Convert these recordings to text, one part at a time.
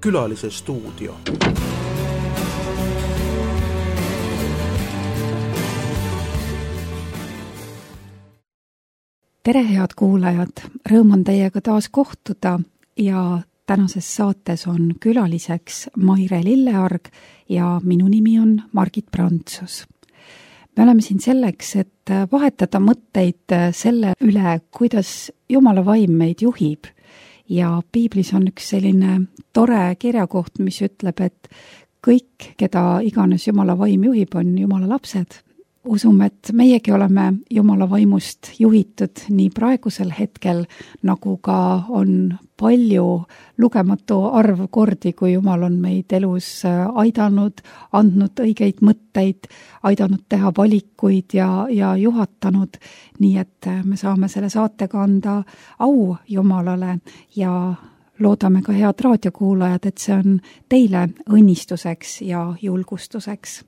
Külalise stuudio. Tere, head kuulajad! Rõõm on teiega taas kohtuda ja tänases saates on külaliseks Maire Lillearg ja minu nimi on Margit Prantsus. Me oleme siin selleks, et vahetada mõtteid selle üle, kuidas Jumala vaim meid juhib. Ja piiblis on üks selline tore kirjakoht, mis ütleb, et kõik, keda iganes Jumala vaim juhib, on Jumala lapsed. Usume, et meiegi oleme Jumala vaimust juhitud nii praegusel hetkel, nagu ka on palju lugematu arv kordi, kui Jumal on meid elus aidanud, andnud õigeid mõtteid, aidanud teha valikuid ja juhatanud, nii et me saame selle saatega anda au Jumalale ja loodame ka head raadiokuulajad, et see on teile õnnistuseks ja julgustuseks.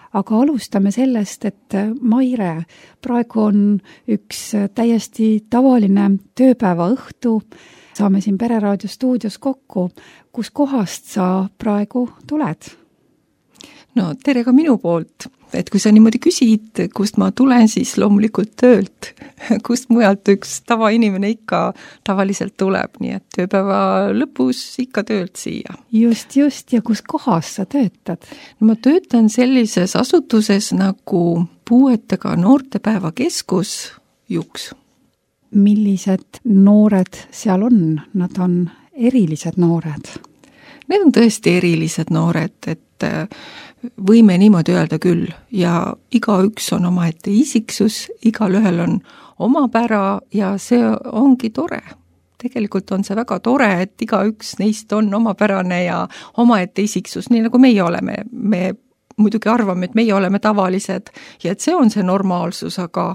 Aga alustame sellest, et Maire, praegu on üks täiesti tavaline tööpäeva õhtu. Saame siin Pereraadio stuudios kokku. Kus kohast sa praegu tuled? No tere ka minu poolt. Et kui sa niimoodi küsid, kust ma tulen, siis loomulikult töölt. Kust mujalt üks tavainimene ikka tavaliselt tuleb, nii et tööpäeva lõpus ikka töölt siia. Just, ja kus kohas sa töötad? No ma töötan sellises asutuses nagu puuetega noortepäeva keskus Juks. Millised noored seal on? Nad on erilised noored. Need on tõesti erilised noored, et võime niimoodi öelda küll ja igaüks on omaette isiksus, igal ühel on oma pära ja see ongi tore. Tegelikult on see väga tore, et igaüks neist on omapärane ja omaette isiksus, nii nagu meie oleme. Me muidugi arvame, et meie oleme tavalised ja et see on see normaalsus, aga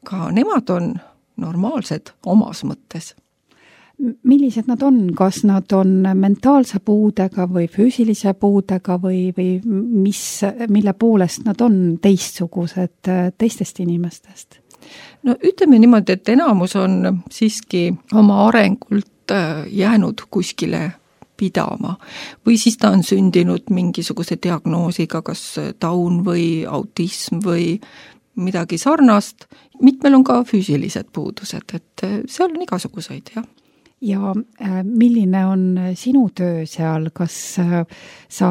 ka nemad on normaalsed omas mõttes. Millised nad on? Kas nad on mentaalse puudega või füüsilise puudega või mille poolest nad on teistsugused teistest inimestest? No ütleme niimoodi, et enamus on siiski oma arengult jäänud kuskile pidama või siis ta on sündinud mingisuguse diagnoosiga, kas taun või autism või midagi sarnast. Mitmel on ka füüsilised puudused, et seal on igasuguseid, jah. Ja milline on sinu töö seal? Kas sa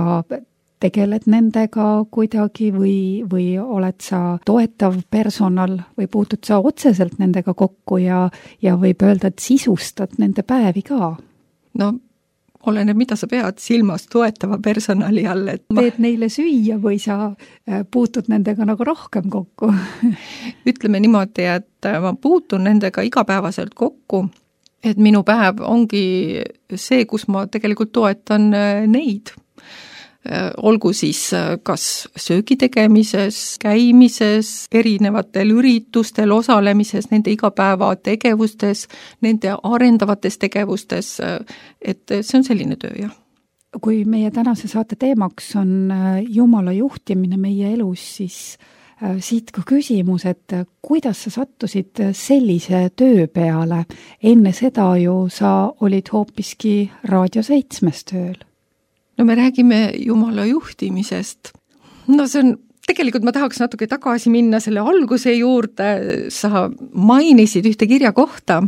tegeled nendega kuidagi või oled sa toetav personal või puutud sa otseselt nendega kokku ja võib öelda, et sisustad nende päevi ka? No oleneb, mida sa pead silmas toetava personali all. Teed neile süüa või sa puutud nendega nagu rohkem kokku? Ütleme niimoodi, et ma puutun nendega igapäevaselt kokku. Et minu päev ongi see, kus ma tegelikult toetan neid. Olgu siis kas söögi tegemises, käimises, erinevatel üritustel osalemises, nende igapäeva tegevustes, nende arendavates tegevustes, et see on selline töö, jah. Kui meie tänase saate teemaks on Jumala juhtimine meie elus, siis siit ka küsimus, et kuidas sa sattusid sellise töö peale? Enne seda ju sa olid hoopiski Raadio 7 tööl. No me räägime Jumala juhtimisest. No see on, tegelikult ma tahaks natuke tagasi minna selle alguse juurde. Sa mainisid ühte kirja kohta,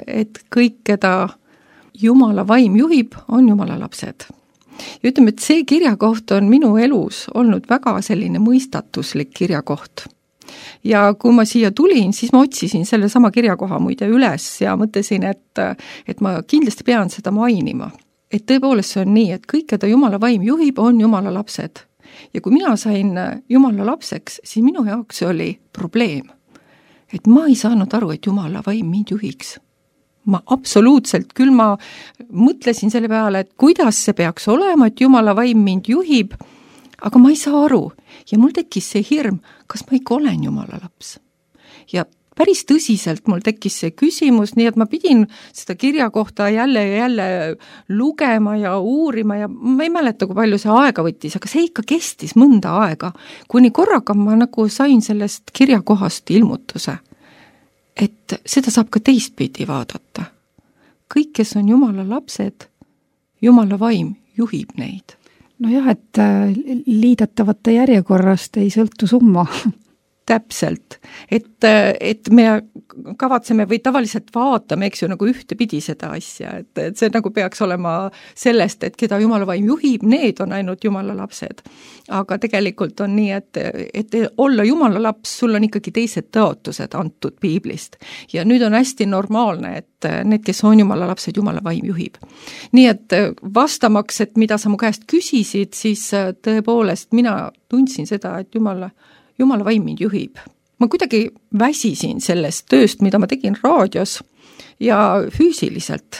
et kõik, keda Jumala vaim juhib, on Jumala lapsed. Ja ütleme, et see kirjakoht on minu elus olnud väga selline mõistatuslik kirjakoht. Ja kui ma siia tulin, siis ma otsisin selle sama kirjakoha muide üles ja mõtlesin, et ma kindlasti pean seda mainima. Et tõepoolest see on nii, et kõik, keda Jumala vaim juhib, on Jumala lapsed. Ja kui mina sain Jumala lapseks, siis minu jaoks oli probleem. Et ma ei saanud aru, et Jumala vaim mind juhiks. Ma absoluutselt, küll ma mõtlesin selle peale, et kuidas see peaks olema, et Jumala vaim mind juhib, aga ma ei saa aru. Ja mul tekkis see hirm, kas ma ikka olen Jumala laps. Ja päris tõsiselt mul tekkis see küsimus, nii et ma pidin seda kirja kohta jälle lugema ja uurima ja ma ei mäleta, kui palju see aega võttis, aga see ikka kestis mõnda aega, kuni korraga ma nagu sain sellest kirjakohast ilmutuse. Et seda saab ka teistpidi vaadata. Kõik, kes on Jumala lapsed, Jumala vaim juhib neid. Nojah, et liidatavate järjekorrast ei sõltu summa. Täpselt, et me kavatseme või tavaliselt vaatame, eks ju, nagu ühtepidi seda asja, et see nagu peaks olema sellest, et keda Jumala vaim juhib, need on ainult Jumala lapsed. Aga tegelikult on nii, et olla Jumala laps, sul on ikkagi teised tõotused antud piiblist. Ja nüüd on hästi normaalne, et need, kes on Jumala lapsed, Jumala vaim juhib. Nii et vastamaks, et mida sa mu käest küsisid, siis tõepoolest mina tundsin seda, et Jumala vaim mind juhib. Ma kuidagi väsisin sellest tööst, mida ma tegin raadios ja füüsiliselt,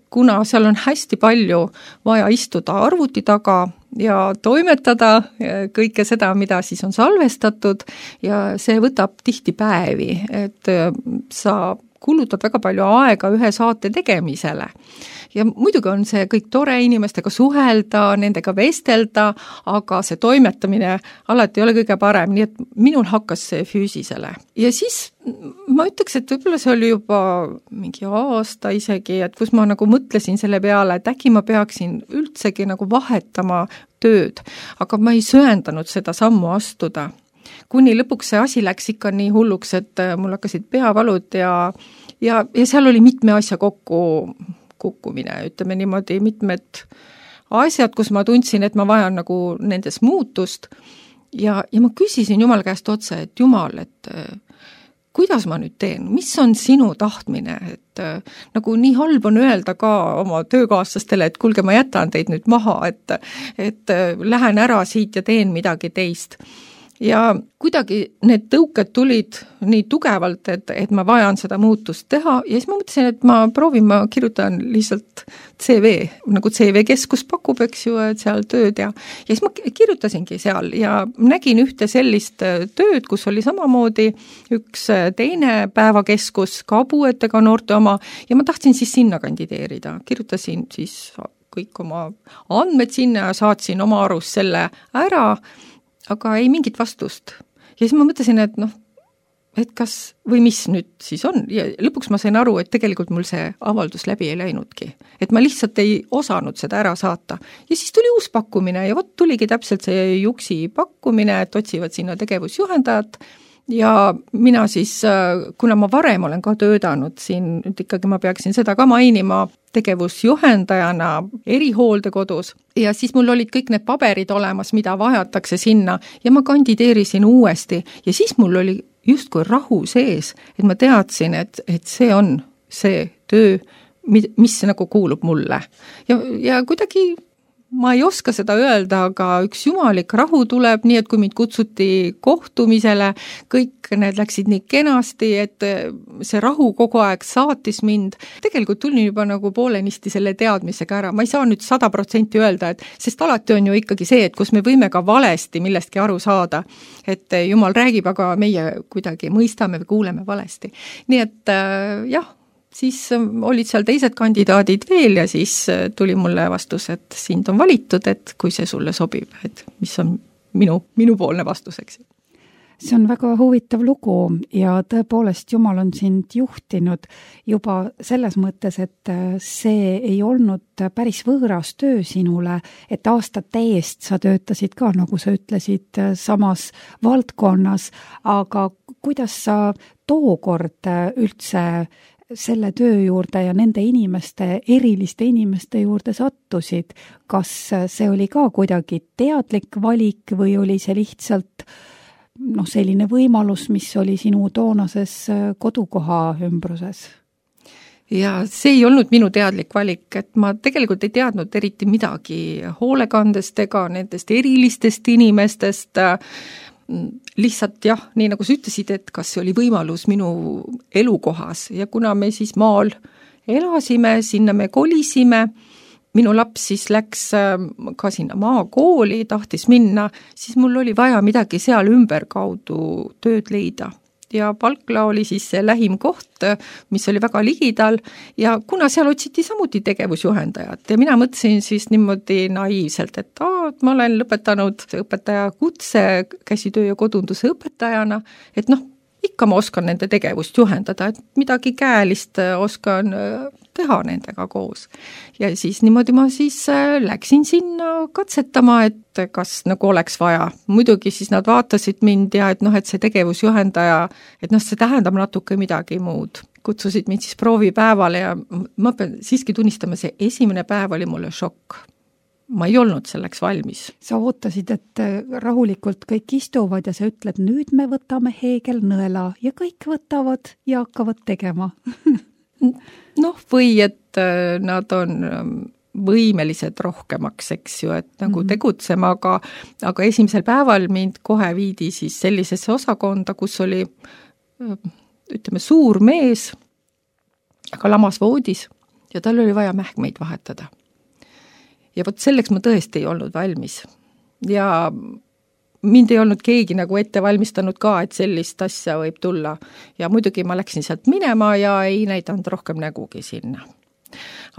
kuna seal on hästi palju vaja istuda arvuti taga ja toimetada kõike seda, mida siis on salvestatud ja see võtab tihti päevi, et sa kulutad väga palju aega ühe saate tegemisele. Ja muidugi on see kõik tore inimestega suhelda, nendega vestelda, aga see toimetamine alati ei ole kõige parem, nii et minul hakkas see füüsisele. Ja siis ma ütleks, et võib-olla see oli juba mingi aasta isegi, et kus ma nagu mõtlesin selle peale, et äkki ma peaksin üldsegi nagu vahetama tööd, aga ma ei söandanud seda sammu astuda. Kuni lõpuks see asi läks ikka nii hulluks, et mul hakkasid peavalud ja seal oli mitme asja kukkumine, ütleme niimoodi mitmed asjad, kus ma tundsin, et ma vajan nagu nendes muutust ja ma küsisin Jumala käest otse, et Jumal, et kuidas ma nüüd teen, mis on sinu tahtmine, et nagu nii halb on öelda ka oma töökaaslastele, et kuulge, ma jätan teid nüüd maha, et lähen ära siit ja teen midagi teist. Ja kuidagi need tõuked tulid nii tugevalt, et ma vajan seda muutust teha ja siis ma mõtlesin, et ma kirjutan lihtsalt CV, nagu CV keskus pakub, eks ju, et seal tööd ja siis ma kirjutasingi seal ja nägin ühte sellist tööd, kus oli samamoodi üks teine päevakeskus, ka puuetega noorte oma ja ma tahtsin siis sinna kandideerida, kirjutasin siis kõik oma andmed sinna ja saatsin oma arust selle ära, aga ei mingit vastust. Ja siis ma mõtlesin, et kas või mis nüüd siis on ja lõpuks ma sain aru, et tegelikult mul see avaldus läbi ei läinudki. Et ma lihtsalt ei osanud seda ära saata. Ja siis tuli uus pakkumine ja vot tuligi täpselt see Juksi pakkumine, et otsivad sinna tegevusjuhendajat ja mina siis, kuna ma varem olen ka töötanud siin, nüüd ikkagi ma peaksin seda ka mainima, tegevusjuhendajana erihooldekodus ja siis mul olid kõik need paberid olemas, mida vajatakse sinna ja ma kandideerisin uuesti ja siis mul oli justkui rahu sees, et ma teadsin, et see on see töö, mis nagu kuulub mulle ja kuidagi ma ei oska seda öelda, aga üks jumalik rahu tuleb, nii et kui mind kutsuti kohtumisele, kõik need läksid nii kenasti, et see rahu kogu aeg saatis mind. Tegelikult tulin juba nagu poolenisti selle teadmisega ära. Ma ei saa nüüd 100% öelda, sest alati on ju ikkagi see, et kus me võime ka valesti millestki aru saada, et Jumal räägib, aga meie kuidagi mõistame või kuuleme valesti. Nii et jah, siis olid seal teised kandidaadid veel ja siis tuli mulle vastus, et sind on valitud, et kui see sulle sobib, et mis on minu poolne vastus, eks. See on väga huvitav lugu ja tõepoolest Jumal on sind juhtinud juba selles mõttes, et see ei olnud päris võõras töö sinule, et aastate eest sa töötasid ka, nagu sa ütlesid, samas valdkonnas, aga kuidas sa tookord üldse selle töö juurde ja nende eriliste inimeste juurde sattusid, kas see oli ka kuidagi teadlik valik või oli see lihtsalt selline võimalus, mis oli sinu toonases kodukoha ümbruses? Ja see ei olnud minu teadlik valik, et ma tegelikult ei teadnud eriti midagi hoolekandest ega nendest erilistest inimestest, lihtsalt jah, nii nagu sa ütlesid, et kas see oli võimalus minu elukohas ja kuna me siis maal elasime, sinna me kolisime, minu laps siis läks ka sinna maakooli, tahtis minna, siis mul oli vaja midagi seal ümberkaudu tööd leida. Ja Palkla oli siis see lähim koht, mis oli väga ligidal ja kuna seal otsiti samuti tegevusjuhendajat ja mina mõtlesin siis niimoodi naiivselt, et ma olen lõpetanud õpetaja kutse, käsitöö ja kodunduse õpetajana, et ikka ma oskan nende tegevust juhendada, et midagi käelist oskan teha nendega koos. Ja siis niimoodi ma siis läksin sinna katsetama, et kas nagu oleks vaja. Muidugi siis nad vaatasid mind ja et et see tegevusjuhendaja, et see tähendab natuke midagi muud. Kutsusid mind siis proovipäevale ja ma pean siiski tunnistama, see esimene päev oli mulle šokk. Ma ei olnud selleks valmis. Sa ootasid, et rahulikult kõik istuvad ja sa ütled, nüüd me võtame heegelnõela ja kõik võtavad ja hakkavad tegema. Või et nad on võimelised rohkemaks, eks ju, et nagu tegutsema, aga esimesel päeval mind kohe viidi siis sellisesse osakonda, kus oli suur mees, aga lamas voodis ja tal oli vaja mähkmeid vahetada. Ja vot selleks ma tõesti ei olnud valmis. Ja mind ei olnud keegi nagu ette valmistanud ka, et sellist asja võib tulla. Ja muidugi ma läksin sealt minema ja ei näidanud rohkem nägugi sinna.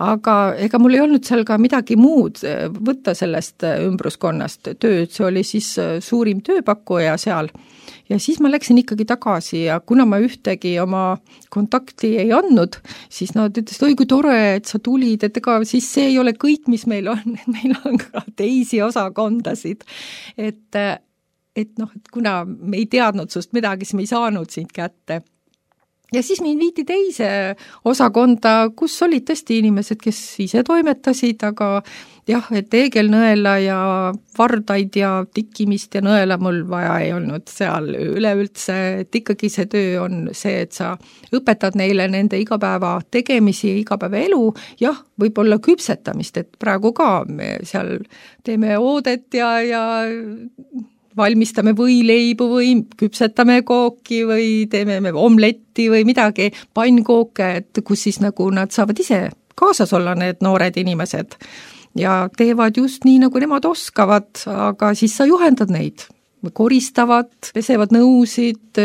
Aga ega mul ei olnud seal ka midagi muud võtta sellest ümbruskonnast tööd, see oli siis suurim tööpakkuja seal. Ja siis ma läksin ikkagi tagasi ja kuna ma ühtegi oma kontakti ei andnud, siis nad ütlesid, oi kui tore, et sa tulid, et ega siis see ei ole kõik, mis meil on, et meil on ka teisi osakondasid. Et kuna me ei teadnud sust midagi, siis me ei saanud sind kätte. Ja siis mind viidi teise osakonda, kus olid tõesti inimesed, kes ise toimetasid, aga jah, et heegelnõela ja vardaid ja tikkimist ja nõela mul vaja ei olnud seal üleüldse, et ikkagi see töö on see, et sa õpetad neile nende igapäeva tegemisi ja igapäevaelu, jah, võib-olla küpsetamist, et praegu ka me seal teeme oodet ja valmistame võileibu või küpsetame kooki või teeme omletti või midagi, pannkooke, et kus siis nagu nad saavad ise kaasas olla, need noored inimesed. Ja teevad just nii, nagu nemad oskavad, aga siis sa juhendad neid. Koristavad, pesevad nõusid,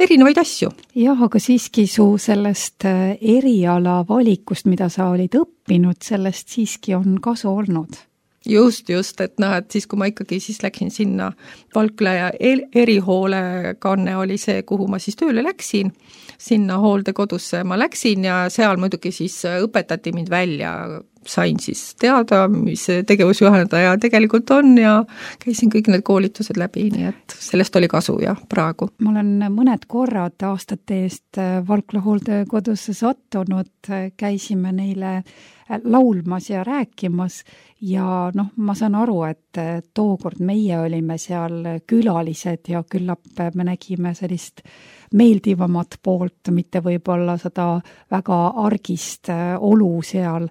erinevaid asju. Jah, aga siiski su sellest eriala valikust, mida sa olid õppinud, sellest siiski on kasu olnud. Just, et siis kui ma ikkagi siis läksin sinna Valkla ja erihoolekanne oli see, kuhu ma siis tööle läksin, sinna hooldekodusse ma läksin ja seal muidugi siis õpetati mind välja, sain siis teada, mis tegevusjuhendaja tegelikult on ja käisin kõik need koolitused läbi, nii et sellest oli kasu ja praegu. Ma olen mõned korrad aastate eest Valkla hooldekodusse sattunud, käisime neile laulmas ja rääkimas ja ma saan aru, et tookord meie olime seal külalised ja küllap me nägime sellist meeldivamat poolt, mitte võib-olla seda väga argist olu seal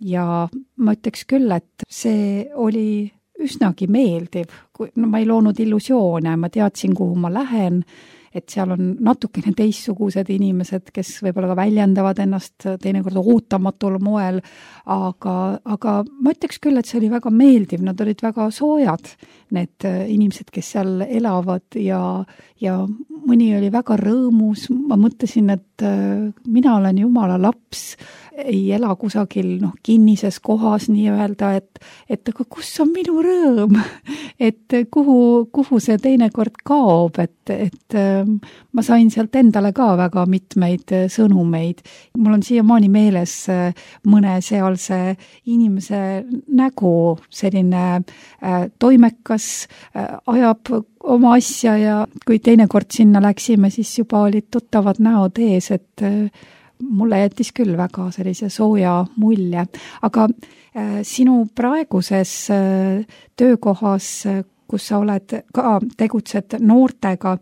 ja ma ütleks küll, et see oli üsnagi meeldiv, ma ei loonud illusioone, ma teadsin, kuhu ma lähen, et seal on natukene teistsugused inimesed, kes võib-olla ka väljendavad ennast teinekord ootamatul moel, aga ma ütleks küll, et see oli väga meeldiv, nad olid väga soojad, need inimesed, kes seal elavad ja mõni oli väga rõõmus, ma mõtlesin, et mina olen Jumala laps, ei ela kusagil kinnises kohas nii-öelda, et aga kus on minu rõõm, et kuhu see teinekord kaob, et ma sain sealt endale ka väga mitmeid sõnumeid. Mul on siiamaani meeles mõne sealse inimese nägu, selline toimekas, ajab oma asja ja kui teinekord sinna läksime, siis juba olid tuttavad näod ees, et mulle jättis küll väga sellise sooja mulje, aga sinu praeguses töökohas, kus sa oled ka tegutsed noortega,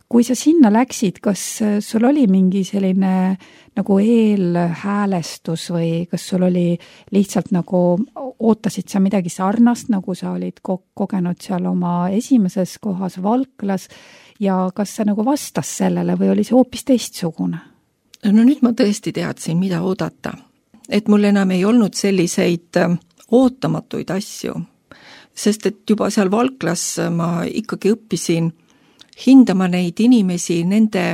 kui sa sinna läksid, kas sul oli mingi selline nagu eelhäälestus või kas sul oli lihtsalt nagu ootasid sa midagi sarnast, nagu sa olid kogenud seal oma esimeses kohas Valklas ja kas see nagu vastas sellele või oli see hoopis teistsugune? No nüüd ma tõesti teadsin, mida oodata. Et mul enam ei olnud selliseid ootamatuid asju, sest et juba seal Valklas ma ikkagi õppisin hindama neid inimesi nende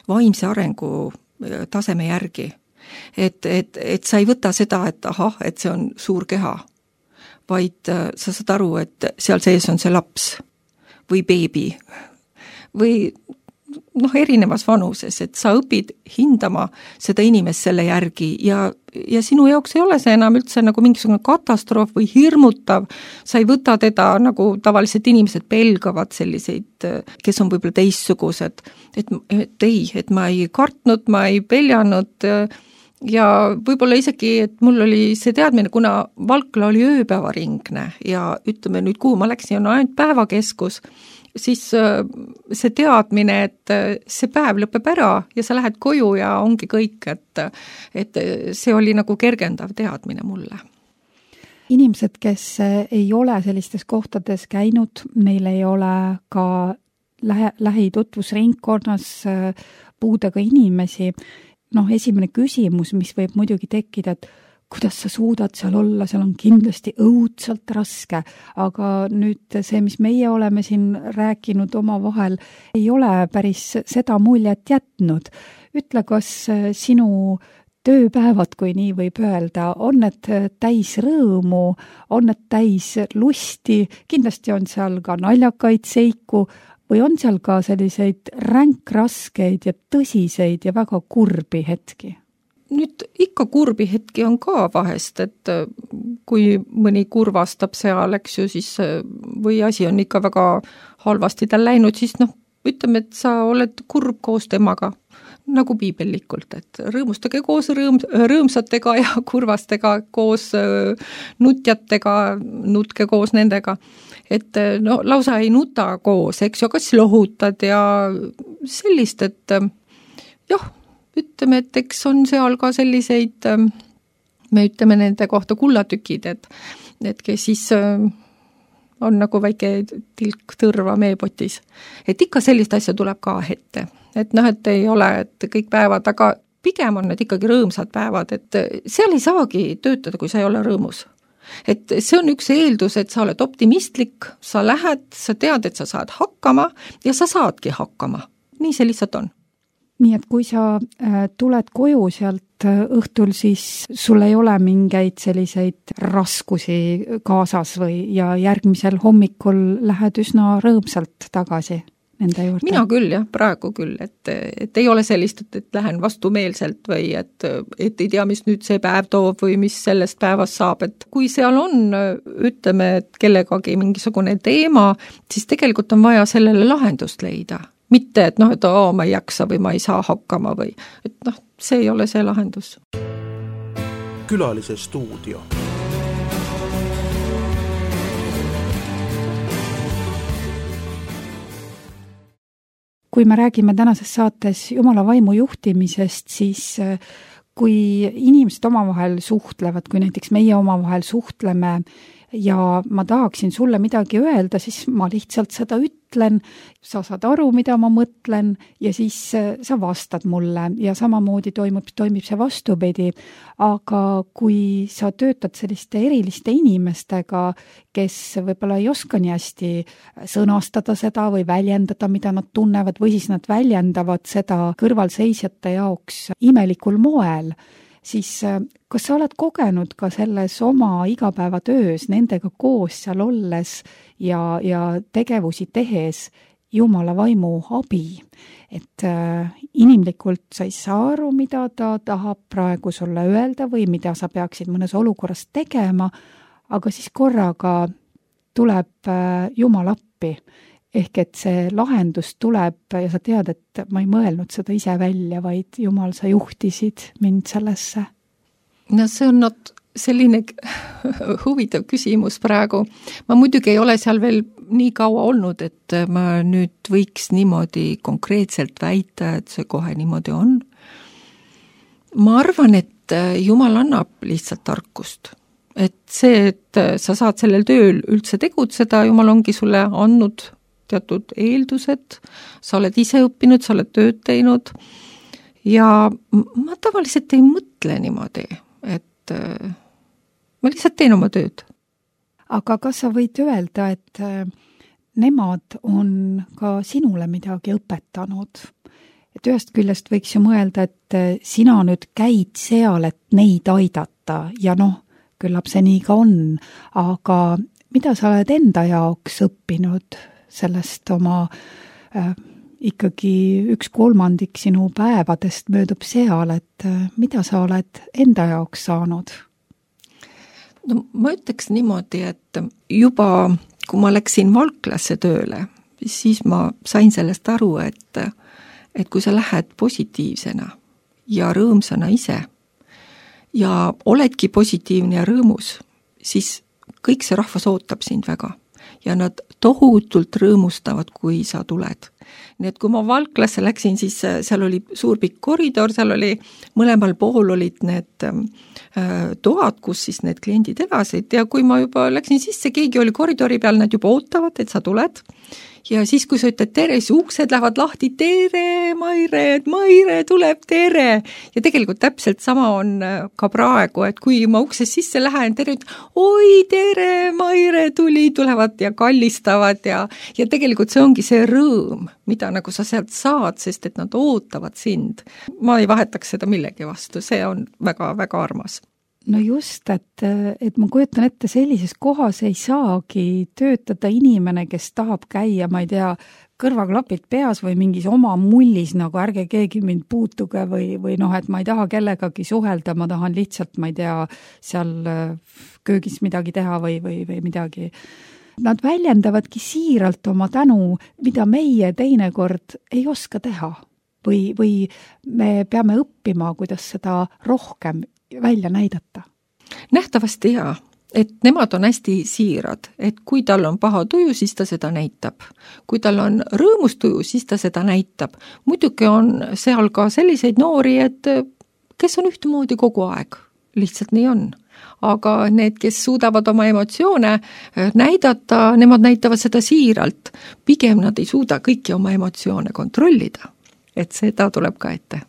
vaimse arengu taseme järgi. Et sa ei võta seda, et ahah, et see on suur keha, vaid sa saad aru, et seal sees on see laps või beebi või erinevas vanuses, et sa õpid hindama seda inimest selle järgi ja sinu jaoks ei ole see enam üldse nagu mingisugune katastroof või hirmutav, sa ei võta teda nagu tavaliselt inimesed pelgavad selliseid, kes on võib-olla teistsugused, et ma ei kartnud, ma ei peljanud ja võib-olla isegi, et mul oli see teadmine, kuna Valkla oli ööpäevaringne ja ütleme nüüd, kuhu ma läksin, on ainult päevakeskus, siis see teadmine, et see päev lõpeb ära ja sa lähed koju ja ongi kõik, et see oli nagu kergendav teadmine mulle. Inimesed, kes ei ole sellistes kohtades käinud, neil ei ole ka lähitutvusringkonnas puudega inimesi. Esimene küsimus, mis võib muidugi tekkida, et kuidas sa suudad seal olla, seal on kindlasti õudselt raske, aga nüüd see, mis meie oleme siin rääkinud omavahel, ei ole päris seda muljet jätnud. Ütle, kas sinu tööpäevad, kui nii võib öelda, on need täis rõõmu, on need täis lusti, kindlasti on seal ka naljakaid seiku või on seal ka selliseid ränkraskeid ja tõsiseid ja väga kurbi hetki? Nüüd ikka kurbi hetki on ka vahest, et kui mõni kurvastab seal, eks ju, siis või asi on ikka väga halvasti tal läinud, siis ütleme, et sa oled kurb koos temaga, nagu piibellikult, et rõõmustage koos rõõmsatega ja kurvastega koos nutjatega, nutke koos nendega. Et lausa ei nuta koos, eks ju, kas lohutad ja sellist, et ütleme, et eks on seal ka selliseid, me ütleme nende kohta kullatükid, et kes siis on nagu väike tilk tõrva meepotis. Et ikka sellist asja tuleb ka ette. Et et ei ole, et kõik päevad, aga pigem on need ikkagi rõõmsad päevad, et seal ei saagi töötada, kui sa ei ole rõõmus. Et see on üks eeldus, et sa oled optimistlik, sa lähed, sa tead, et sa saad hakkama ja sa saadki hakkama. Nii see lihtsalt on. Nii et kui sa tuled koju sealt õhtul, siis sul ei ole mingeid selliseid raskusi kaasas ja järgmisel hommikul lähed üsna rõõmsalt tagasi nende juurde? Mina küll jah, praegu küll, et ei ole sellist, et lähen vastumeelselt või et ei tea, mis nüüd see päev toob või mis sellest päevast saab, et kui seal on, ütleme, et kellegagi mingisugune teema, siis tegelikult on vaja sellele lahendust leida. Mitte, et ma ei jaksa või ma ei saa hakkama või, et see ei ole see lahendus. Külalise stuudio. Kui me räägime tänases saates Jumala vaimu juhtimisest, siis kui inimesed omavahel suhtlevad, kui näiteks meie omavahel suhtleme ja ma tahaksin sulle midagi öelda, siis ma lihtsalt seda ütlen, sa saad aru, mida ma mõtlen ja siis sa vastad mulle ja samamoodi toimib see vastupidi. Aga kui sa töötad selliste eriliste inimestega, kes võib-olla ei oska nii hästi sõnastada seda või väljendada, mida nad tunnevad, või siis nad väljendavad seda kõrvalseisjate jaoks imelikul moel, siis kas sa oled kogenud ka selles oma igapäevatöös nendega koos seal olles ja tegevusi tehes Jumala vaimu abi? Et inimlikult sa ei saa aru, mida ta tahab praegu sulle öelda või mida sa peaksid mõnes olukorras tegema, aga siis korraga tuleb Jumal appi. Ehk et see lahendus tuleb ja sa tead, et ma ei mõelnud seda ise välja, vaid Jumal, sa juhtisid mind sellesse. See on selline huvitav küsimus praegu. Ma muidugi ei ole seal veel nii kaua olnud, et ma nüüd võiks niimoodi konkreetselt väita, et see kohe niimoodi on. Ma arvan, et Jumal annab lihtsalt tarkust. Et see, et sa saad sellel tööl üldse tegutseda, Jumal ongi sulle andnud teatud eeldused, sa oled ise õppinud, sa oled tööd teinud ja ma tavaliselt ei mõtle niimoodi, et ma lihtsalt teen oma tööd. Aga kas sa võid öelda, et nemad on ka sinule midagi õpetanud? Et ühest küljest võiks ju mõelda, et sina nüüd käid seal, et neid aidata ja küllap see nii ka on, aga mida sa oled enda jaoks õppinud sellest oma ikkagi 1/3 sinu päevadest möödub seal, et mida sa oled enda jaoks saanud? No ma ütleks niimoodi, et juba kui ma läksin Valklasse tööle, siis ma sain sellest aru, et kui sa lähed positiivsena ja rõõmsana ise ja oledki positiivne ja rõõmus, siis kõik see rahvas ootab sind väga ja nad tohutult rõõmustavad, kui sa tuled. Nii et kui ma Valklasse läksin, siis seal oli suur pikk koridor, seal oli mõlemal pool olid need toad, kus siis need kliendid elasid ja kui ma juba läksin sisse, keegi oli koridori peal, nad juba ootavad, et sa tuled. Ja siis, kui sa ütled tere, siis uksed lähevad lahti, tere, Maire tuleb, tere. Ja tegelikult täpselt sama on ka praegu, et kui ma uksest sisse lähen, tere, oi, tere, Maire tulevad ja kallistavad ja tegelikult see ongi see rõõm, mida nagu sa sealt saad, sest et nad ootavad sind. Ma ei vahetaks seda millegi vastu, see on väga-väga armas. No just, et ma kujutan ette, sellises kohas ei saagi töötada inimene, kes tahab käia, ma ei tea, kõrvaklapid peas või mingis oma mullis, nagu ärge keegi mind puutuge või noh, et ma ei taha kellegagi suhelda, ma tahan lihtsalt, ma ei tea, seal köögis midagi teha või midagi. Nad väljendavadki siiralt oma tänu, mida meie teinekord ei oska teha või me peame õppima, kuidas seda rohkem välja näidata. Nähtavasti jaa, et nemad on hästi siirad, et kui tal on paha tuju, siis ta seda näitab. Kui tal on rõõmus tuju, siis ta seda näitab. Muidugi on seal ka selliseid noori, et kes on ühtemoodi kogu aeg. Lihtsalt nii on. Aga need, kes suudavad oma emotsioone näidata, nemad näitavad seda siiralt. Pigem nad ei suuda kõiki oma emotsioone kontrollida. Et seda tuleb ka ette.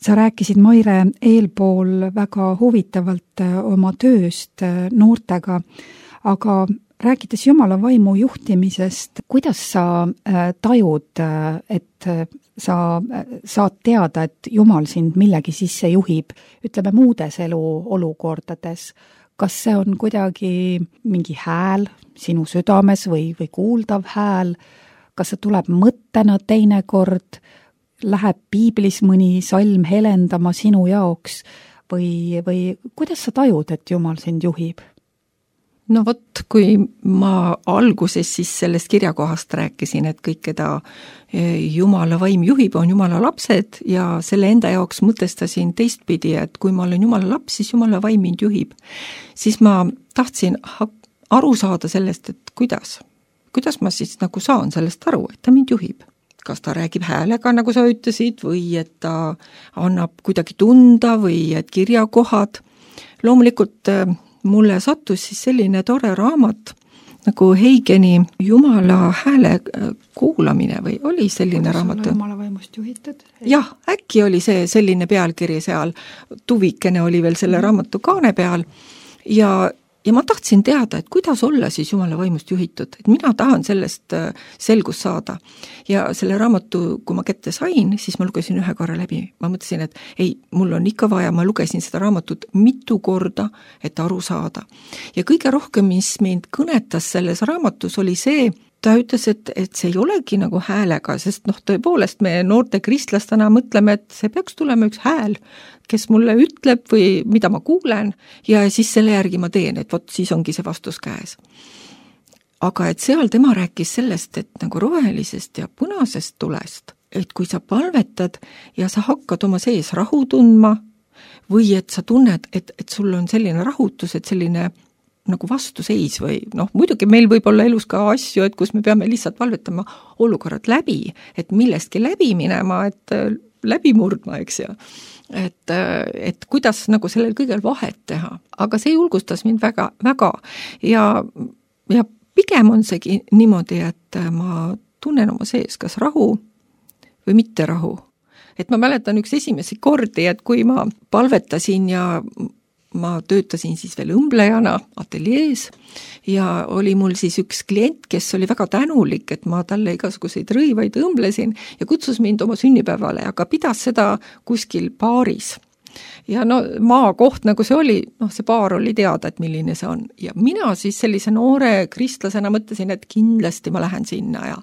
Sa rääkisid, Maire, eelpool väga huvitavalt oma tööst noortega, aga rääkides Jumala vaimu juhtimisest, kuidas sa tajud, et sa saad teada, et Jumal sind millegi sisse juhib, ütleme muudes eluolukordades? Kas see on kuidagi mingi hääl sinu südames või kuuldav hääl? Kas see tuleb mõttena teinekord? Läheb piiblis mõni salm helendama sinu jaoks või kuidas sa tajud, et Jumal sind juhib? No vot, kui ma alguses siis sellest kirjakohast rääkisin, et kõik, keda Jumala vaim juhib, on Jumala lapsed ja selle enda jaoks mõtestasin teistpidi, et kui ma olen Jumala laps, siis Jumala vaim mind juhib. Siis ma tahtsin aru saada sellest, et kuidas kuidas ma siis nagu saan sellest aru, et ta mind juhib. Kas ta räägib häälega, nagu sa ütlesid, või et ta annab kuidagi tunda või et kirjakohad. Loomulikult mulle sattus siis selline tore raamat nagu Heigeni Jumala hääle kuulamine või oli selline raamat? Jumala vaimust juhitud? Jah, äkki oli see selline pealkiri seal, tuvikene oli veel selle raamatu kaane peal ja ma tahtsin teada, et kuidas olla siis Jumala vaimust juhitud, et mina tahan sellest selgust saada. Ja selle raamatu, kui ma kätte sain, siis ma lugesin ühe korra läbi. Ma mõtlesin, et ei, mul on ikka vaja, ma lugesin seda raamatut mitu korda, et aru saada. Ja kõige rohkem, mis mind kõnetas selles raamatus, oli see, ta ütles, et see ei olegi nagu häälega, sest tõepoolest me noorte kristlastena mõtleme, et see peaks tulema üks hääl, kes mulle ütleb või mida ma kuulen ja siis selle järgi ma teen, et vot siis ongi see vastus käes. Aga et seal tema rääkis sellest, et nagu rohelisest ja punasest tulest, et kui sa palvetad ja sa hakkad oma sees rahu tundma või et sa tunned, et sul on selline rahutus, et selline nagu vastuseis või muidugi meil võib olla elus ka asju, et kus me peame lihtsalt palvetama olukorrad läbi, et millestki läbi minema, et läbi murdma, eks ju. Et kuidas nagu sellel kõigel vahet teha. Aga see julgustas mind väga, väga ja pigem on seegi niimoodi, et ma tunnen oma sees kas rahu või mitte rahu. Et ma mäletan üks esimesi kordi, et kui ma palvetasin ja ma töötasin siis veel õmblejana ateljees ja oli mul siis üks klient, kes oli väga tänulik, et ma talle igasuguseid rõivaid õmblesin ja kutsus mind oma sünnipäevale, aga pidas seda kuskil baaris. Ja maakoht nagu see oli, see baar oli teada, et milline see on. Ja mina siis sellise noore kristlasena mõtlesin, et kindlasti ma lähen sinna ja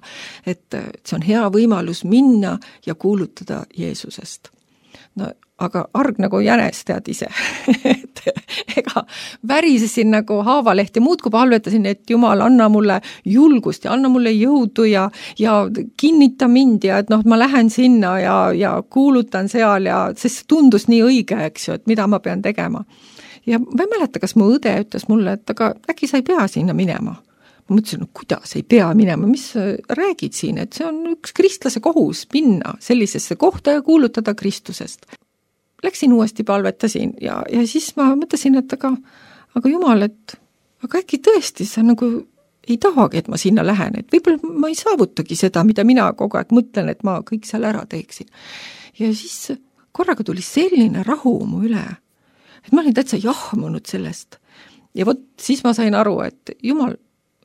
et see on hea võimalus minna ja kuulutada Jeesusest. Aga arg nagu jänes tead ise, et ega värisesin nagu haavaleht ja muudkui palvetasin, et Jumal, anna mulle julgust ja anna mulle jõudu ja kinnita mind ja et ma lähen sinna ja kuulutan seal ja sest tundus nii õige, eks ju, et mida ma pean tegema. Ja ma ei mäleta, kas mu õde ütles mulle, et aga äkki sa ei pea sinna minema. Ma mõtlesin, kuidas ei pea minema, mis räägid siin, et see on üks kristlase kohus minna sellisesse kohta ja kuulutada Kristusest. Läksin uuesti palvetasin ja siis ma mõtlesin, et aga Jumal, et aga äkki tõesti sa nagu ei tahagi, et ma sinna lähen, et võib-olla ma ei saavutagi seda, mida mina kogu aeg mõtlen, et ma kõik seal ära teeksin. Ja siis korraga tuli selline rahu mu üle, et ma olin täitsa jahmunud sellest. Ja vot siis ma sain aru, et Jumal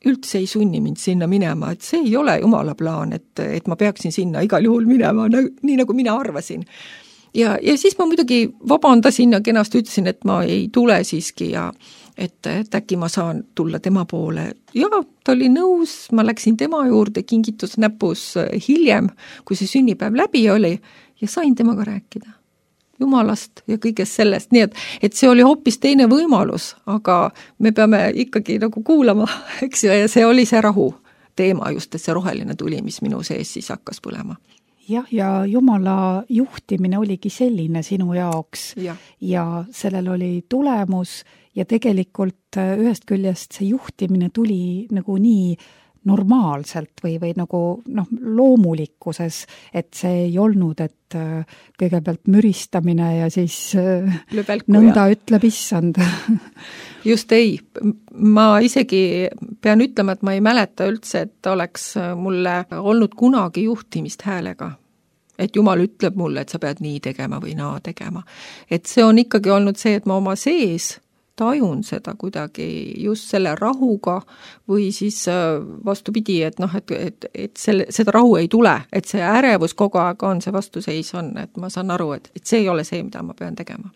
üldse ei sunni mind sinna minema, et see ei ole Jumala plaan, et ma peaksin sinna igal juhul minema, nii nagu mina arvasin. Ja siis ma muidugi vabandasin ja kenasti ütlesin, et ma ei tule siiski ja et äkki ma saan tulla tema poole. Ja ta oli nõus, ma läksin tema juurde kingitus näpus hiljem, kui see sünnipäev läbi oli ja sain temaga rääkida Jumalast ja kõigest sellest, nii et see oli hoopis teine võimalus, aga me peame ikkagi nagu kuulama, eks ju, ja see oli see rahu teema just, et see roheline tuli, mis minu sees siis hakkas põlema. Jah, ja Jumala juhtimine oligi selline sinu jaoks ja sellel oli tulemus ja tegelikult ühest küljest see juhtimine tuli nagu nii normaalselt või nagu loomulikkuses, et see ei olnud, et kõigepealt müristamine ja siis nõnda ütleb issand. Just ei. Ma isegi pean ütlema, et ma ei mäleta üldse, et oleks mulle olnud kunagi juhtimist häälega. Et Jumal ütleb mulle, et sa pead nii tegema või naa tegema. Et see on ikkagi olnud see, et ma oma sees tajun seda kuidagi just selle rahuga või siis vastupidi, et seda rahu ei tule, et see ärevus kogu aeg on, see vastuseis on, et ma saan aru, et see ei ole see, mida ma pean tegema.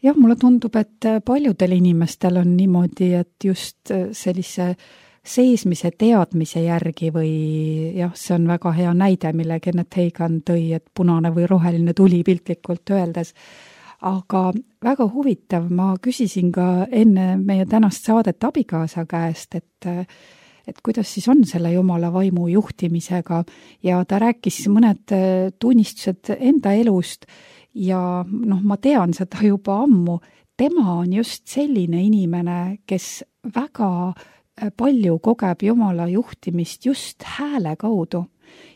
Jah, mulle tundub, et paljudel inimestel on niimoodi, et just sellise seesmise teadmise järgi või jah, see on väga hea näide, mille Kenneth Hagin tõi, et punane või roheline tuli piltlikult öeldes. Aga väga huvitav, ma küsisin ka enne meie tänast saadet abikaasa käest, et kuidas siis on selle Jumala vaimu juhtimisega ja ta rääkis mõned tunnistused enda elust ja ma tean seda juba ammu, tema on just selline inimene, kes väga palju kogeb Jumala juhtimist just hääle kaudu.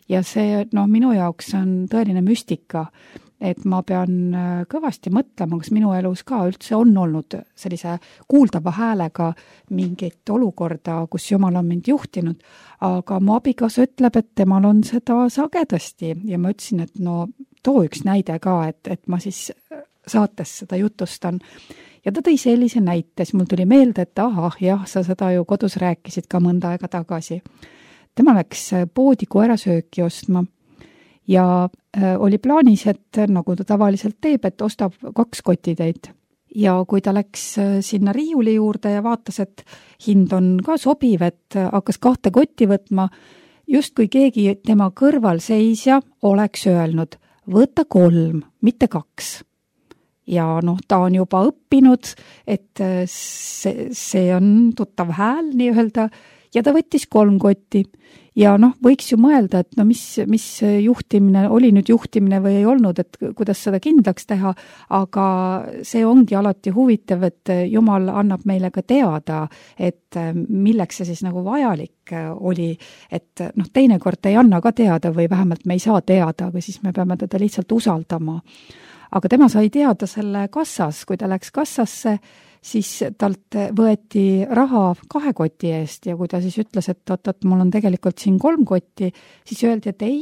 Ja see, minu jaoks on tõeline müstika, et ma pean kõvasti mõtlema, kas minu elus ka üldse on olnud sellise kuuldava häälega mingit olukorda, kus Jumal on mind juhtinud, aga mu abikaasa ütleb, et temal on seda sagedasti ja ma ütlesin, et too üks näide ka, et ma siis saates seda jutustan. Ja ta tõi sellise näite, siis mul tuli meelde, et jah, sa seda ju kodus rääkisid ka mõnda aega tagasi. Tema läks poodi koerasööki ostma ja oli plaanis, et nagu ta tavaliselt teeb, et ostab 2 kotitäit. Ja kui ta läks sinna riiuli juurde ja vaatas, et hind on ka sobiv, et hakkas 2 kotti võtma, just kui keegi tema kõrval seisja oleks öelnud, võta 3, mitte 2. Ja ta on juba õppinud, et see on tuttav hääl nii-öelda, ja ta võttis 3 kotti. Ja võiks ju mõelda, et mis juhtimine, oli nüüd juhtimine või ei olnud, et kuidas seda kindlaks teha, aga see ongi alati huvitav, et Jumal annab meile ka teada, et milleks see siis nagu vajalik oli, et teinekord ei anna ka teada või vähemalt me ei saa teada, aga siis me peame teda lihtsalt usaldama. Aga tema sai teada selle kassas, kui ta läks kassasse, siis talt võeti raha 2 koti eest ja kui ta siis ütles, et mul on tegelikult siin 3 kotti, siis öeldi, et ei,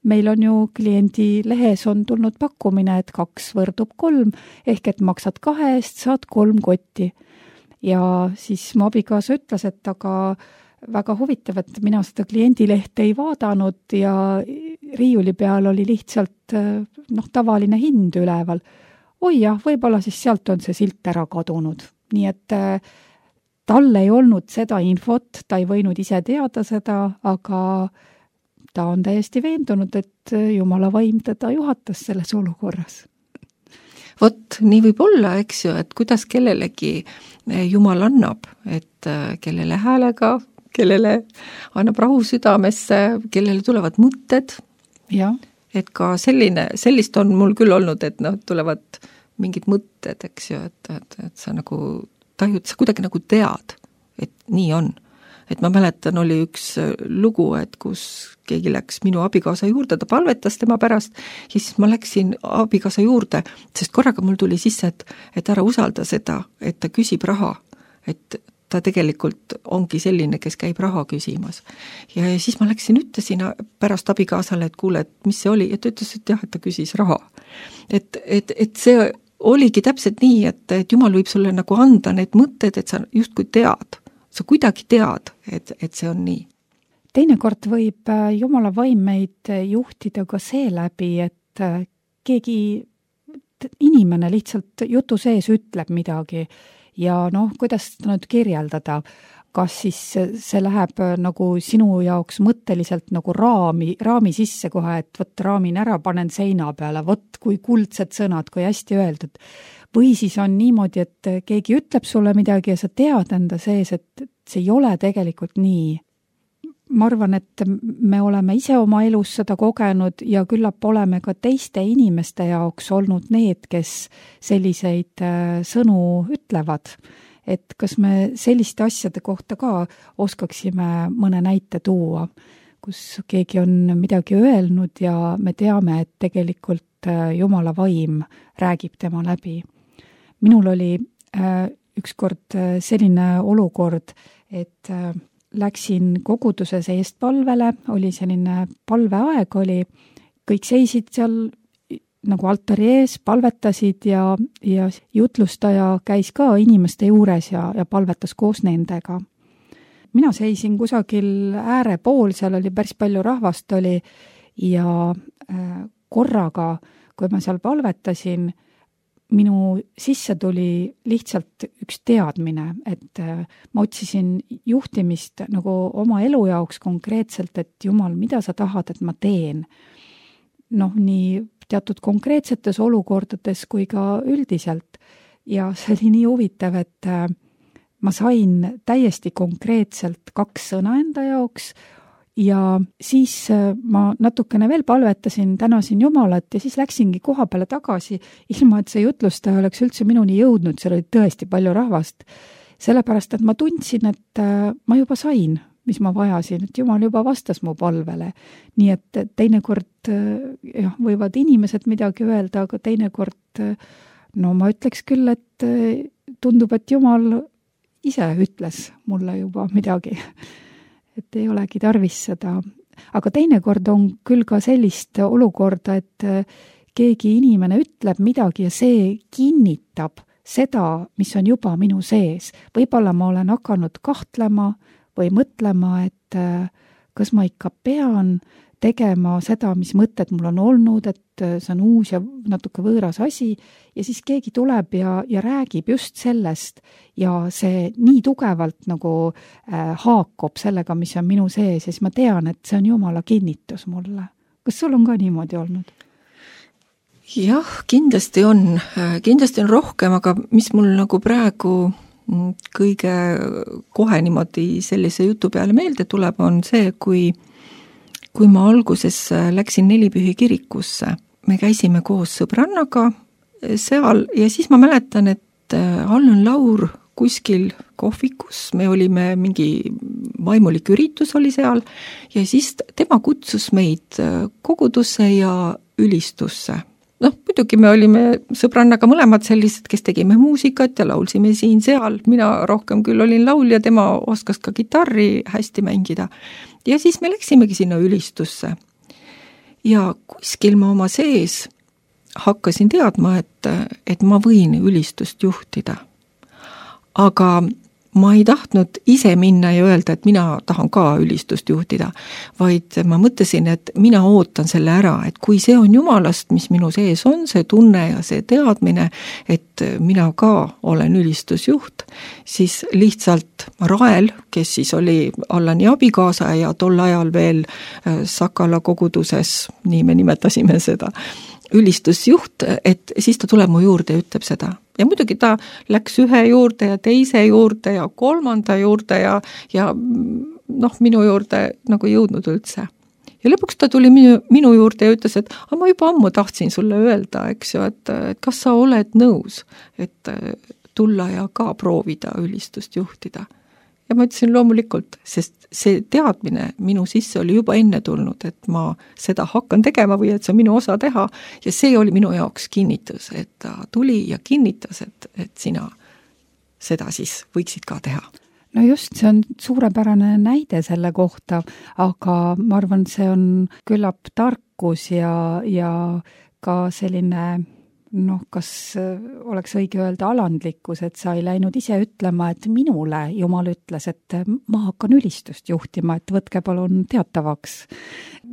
meil on ju kliendi lehes on tulnud pakkumine, et 2 võrdub 3, ehk et maksad 2 eest, saad 3 kotti. Ja siis mu abikaasa ütles, et aga väga huvitav, et mina seda kliendilehte ei vaadanud ja riiuli peal oli lihtsalt tavaline hind üleval. Oi jah, võib-olla siis sealt on see silt ära kadunud. Nii et tal ei olnud seda infot, ta ei võinud ise teada seda, aga ta on täiesti veendunud, et Jumala vaim teda juhatas selles olukorras. Vot, nii võib olla, eks ju, et kuidas kellelegi Jumal annab, et kellele häälega, kellele annab rahu südamesse, kellele tulevad mõtted. Ja. Et ka sellist on mul küll olnud, et tulevad mingid mõtted, eks ju, et sa nagu tajud, sa kuidagi nagu tead, et nii on. Et ma mäletan, oli üks lugu, et kus keegi läks minu abikaasa juurde, ta palvetas tema pärast, ja siis ma läksin abikaasa juurde, sest korraga mul tuli sisse, et ära usalda seda, et ta küsib raha, et ta tegelikult ongi selline, kes käib raha küsimas. Ja siis ma läksin, ütlesin pärast abikaasale, et kuule, et mis see oli, ja ta ütles, et jah, et ta küsis raha. Et see oligi täpselt nii, et Jumal võib sulle nagu anda need mõtted, et sa justkui tead, sa kuidagi tead, et see on nii. Teinekord võib Jumala vaim meid juhtida ka seeläbi, et keegi inimene lihtsalt jutu sees ütleb midagi ja kuidas seda nüüd kirjeldada, kas siis see läheb nagu sinu jaoks mõtteliselt nagu raami sisse kohe, et võt raamin ära, panen seina peale, võt kui kuldsed sõnad, kui hästi öeldud. Või siis on niimoodi, et keegi ütleb sulle midagi ja sa tead enda sees, et see ei ole tegelikult nii. Ma arvan, et me oleme ise oma elus seda kogenud ja küllap oleme ka teiste inimeste jaoks olnud need, kes selliseid sõnu ütlevad. Et kas me selliste asjade kohta ka oskaksime mõne näite tuua, kus keegi on midagi öelnud ja me teame, et tegelikult Jumala vaim räägib tema läbi. Minul oli ükskord selline olukord, et läksin koguduses eestpalvele, oli selline palveaeg oli, kõik seisid seal nagu altari ees, palvetasid ja jutlustaja käis ka inimeste juures ja palvetas koos nendega. Mina seisin kusagil äärepool, seal oli päris palju rahvast oli ja korraga, kui ma seal palvetasin, minu sisse tuli lihtsalt üks teadmine, et ma otsisin juhtimist nagu oma elu jaoks konkreetselt, et Jumal, mida sa tahad, et ma teen? Nii teatud konkreetsetes olukordades kui ka üldiselt. Ja see oli nii huvitav, et ma sain täiesti konkreetselt 2 sõna enda jaoks ja siis ma natukene veel palvetasin, tänasin Jumalat ja siis läksingi koha peale tagasi, ilma et see jutlustaja oleks üldse minuni jõudnud, seal oli tõesti palju rahvast. sellepärast, et ma tundsin, et ma juba sain, mis ma vajasin, et Jumal juba vastas mu palvele. Nii et teinekord võivad inimesed midagi öelda, aga teinekord, no ma ütleks küll, et tundub, et Jumal ise ütles mulle juba midagi. Et ei olegi tarvis seda. Aga teinekord on küll ka sellist olukorda, et keegi inimene ütleb midagi ja see kinnitab seda, mis on juba minu sees. Võib-olla ma olen hakanud kahtlema või mõtlema, et kas ma ikka pean tegema seda, mis mõtted mul on olnud, et see on uus ja natuke võõras asi ja siis keegi tuleb ja räägib just sellest ja see nii tugevalt nagu haakub sellega, mis on minu sees ja siis ma tean, et see on Jumala kinnitus mulle. Kas sul on ka niimoodi olnud? Jah, kindlasti on rohkem, aga mis mul nagu praegu kõige kohe niimoodi sellise jutu peale meelde tuleb, on see, kui ma alguses läksin Nelipühi kirikusse. Me käisime koos sõbrannaga seal ja siis ma mäletan, et Allan Laur kuskil kohvikus, me olime mingi vaimulik üritus oli seal ja siis tema kutsus meid kogudusse ja ülistusse. Muidugi me olime sõbrannaga mõlemad sellised, kes tegime muusikat ja laulsime siin-seal. Mina rohkem küll olin laulja, tema oskas ka kitarri hästi mängida. Ja siis me läksimegi sinna ülistusse. Ja kuskil ma oma sees hakkasin teadma, et ma võin ülistust juhtida. Aga ma ei tahtnud ise minna ja öelda, et mina tahan ka ülistust juhtida, vaid ma mõtlesin, et mina ootan selle ära, et kui see on Jumalast, mis minu sees on, see tunne ja see teadmine, et mina ka olen ülistusjuht, siis lihtsalt Rael, kes siis oli Allani abikaasa ja tol ajal veel Sakala koguduses, nii me nimetasime seda, ülistusjuht, et siis ta tuleb mu juurde ja ütleb seda. Ja muidugi ta läks ühe juurde ja teise juurde ja kolmanda juurde ja minu juurde nagu jõudnud üldse. Ja lõpuks ta tuli minu juurde ja ütles, et ma juba ammu tahtsin sulle öelda, eks ju, et kas sa oled nõus, et tulla ja ka proovida ülistust juhtida. Ja ma ütlesin loomulikult, sest see teadmine minu sisse oli juba enne tulnud, et ma seda hakkan tegema või et see on minu osa teha ja see oli minu jaoks kinnitus, et ta tuli ja kinnitas, et sina seda siis võiksid ka teha. No just, see on suurepärane näide selle kohta, aga ma arvan, see on küllap tarkus ja ka selline kas oleks õige öelda alandlikkus, et sa ei läinud ise ütlema, et minule Jumal ütles, et ma hakkan ülistust juhtima, et võtke palun teatavaks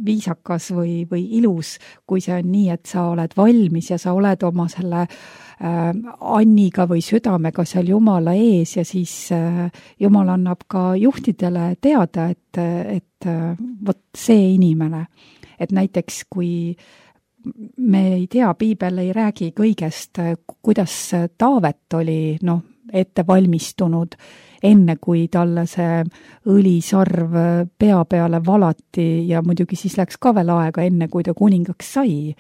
viisakas või ilus, kui see on nii, et sa oled valmis ja sa oled oma selle anniga või südamega seal Jumala ees ja siis Jumal annab ka juhtidele teada, et vot see inimene, et näiteks kui me ei tea, piibel ei räägi kõigest, kuidas Taavet oli ette valmistunud, enne kui talle see õlisarv pea peale valati ja muidugi siis läks ka veel aega, enne kui ta kuningaks sai.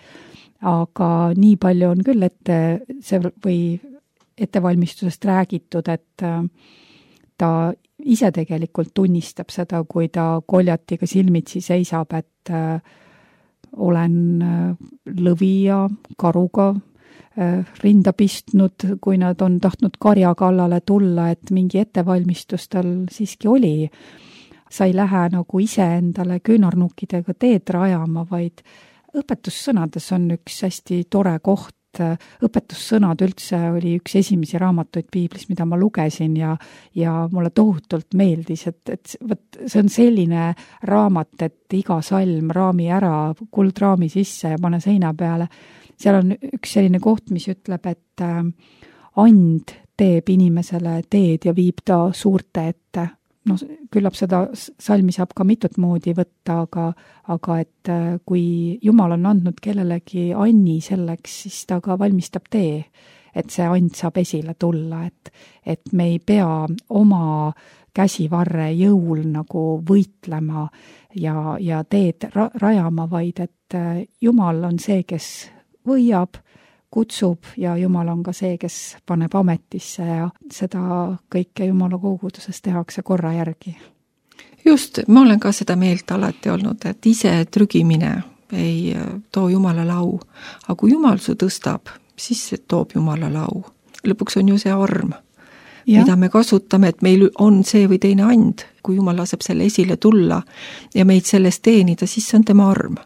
Aga nii palju on küll ettevalmistusest räägitud, et ta ise tegelikult tunnistab seda, kui ta Koljatiga silmitsi seisab, et olen lõvi ja karuga rinda pistnud, kui nad on tahtnud karja kallale tulla, et mingi ettevalmistus tal siiski oli. Sa ei lähe nagu ise endale küünarnukkidega teed rajama, vaid õpetussõnades on üks hästi tore koht. Õpetussõnad üldse oli üks esimesi raamatuid piiblis, mida ma lugesin ja mulle tohutult meeldis, et see on selline raamat, et iga salm raami ära, kuldraami sisse ja pane seina peale. Seal on üks selline koht, mis ütleb, et and teeb inimesele teed ja viib ta suurte ette. Küllap seda salmi saab ka mitut moodi võtta, aga et kui Jumal on andnud kellelegi anni selleks, siis ta ka valmistab tee, et see and saab esile tulla, et me ei pea oma käsivarre jõul nagu võitlema ja teed rajama, vaid et Jumal on see, kes võiab, kutsub ja Jumal on ka see, kes paneb ametisse ja seda kõike Jumala koguduses tehakse korra järgi. Just, ma olen ka seda meelt alati olnud, et ise trügimine ei too Jumalale au, aga kui Jumal su tõstab, siis toob Jumalale au. Lõpuks on ju see arm, mida me kasutame, et meil on see või teine and, kui Jumal laseb selle esile tulla ja meid sellest teenida, siis see on tema arm.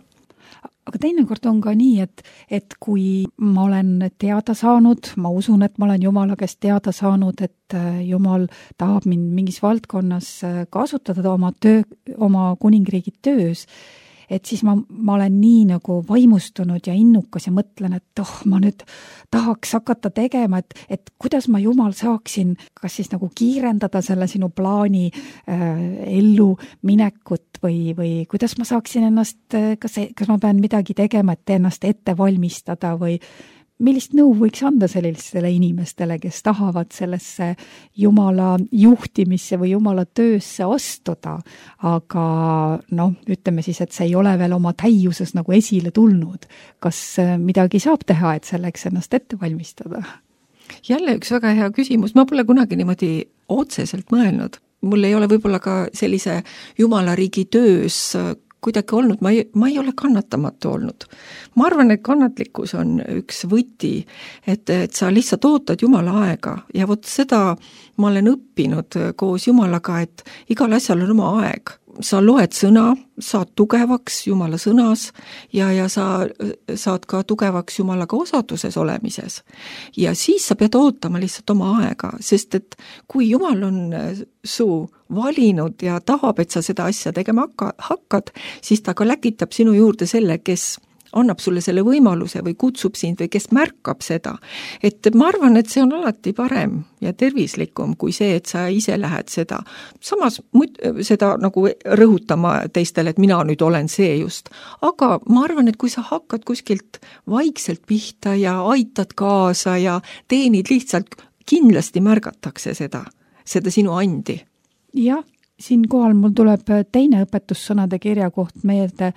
Aga teinekord on ka nii, et kui ma olen teada saanud, ma usun, et ma olen Jumala käest teada saanud, et Jumal tahab mind mingis valdkonnas kasutada oma kuningriigi töös, et siis ma olen nii nagu vaimustunud ja innukas ja mõtlen, et ma nüüd tahaks hakata tegema, et kuidas ma Jumal saaksin kas siis nagu kiirendada selle sinu plaani ellu minekut või kuidas ma saaksin ennast, kas ma pean midagi tegema, et ennast ette valmistada või millist nõu võiks anda sellistele inimestele, kes tahavad sellesse Jumala juhtimisse või Jumala töösse astuda, aga ütleme siis, et see ei ole veel oma täiuses nagu esile tulnud. Kas midagi saab teha, et selleks ennast ette valmistada? Jälle üks väga hea küsimus, ma pole kunagi niimoodi otseselt mõelnud. Mul ei ole võib-olla ka sellise Jumala riigi töös kuidagi olnud, ma ei ole kannatamatu olnud. Ma arvan, et kannatlikkus on üks võti, et sa lihtsalt ootad Jumala aega ja vot seda ma olen õppinud koos Jumalaga, et igal asjal on oma aeg. Sa loed sõna, saad tugevaks Jumala sõnas ja sa saad ka tugevaks Jumalaga osaduses olemises. Ja siis sa pead ootama lihtsalt oma aega, sest et kui Jumal on su valinud ja tahab, et sa seda asja tegema hakkad, siis ta ka läkitab sinu juurde selle, kes annab sulle selle võimaluse või kutsub sind või kes märkab seda. Et ma arvan, et see on alati parem ja tervislikum kui see, et sa ise lähed seda. Samas seda nagu rõhutama teistele, et mina nüüd olen see just. Aga ma arvan, et kui sa hakkad kuskilt vaikselt pihta ja aitad kaasa ja teenid lihtsalt, kindlasti märgatakse seda sinu andi. Jah, siinkohal mul tuleb teine õpetussõnade kirjakoht meelde.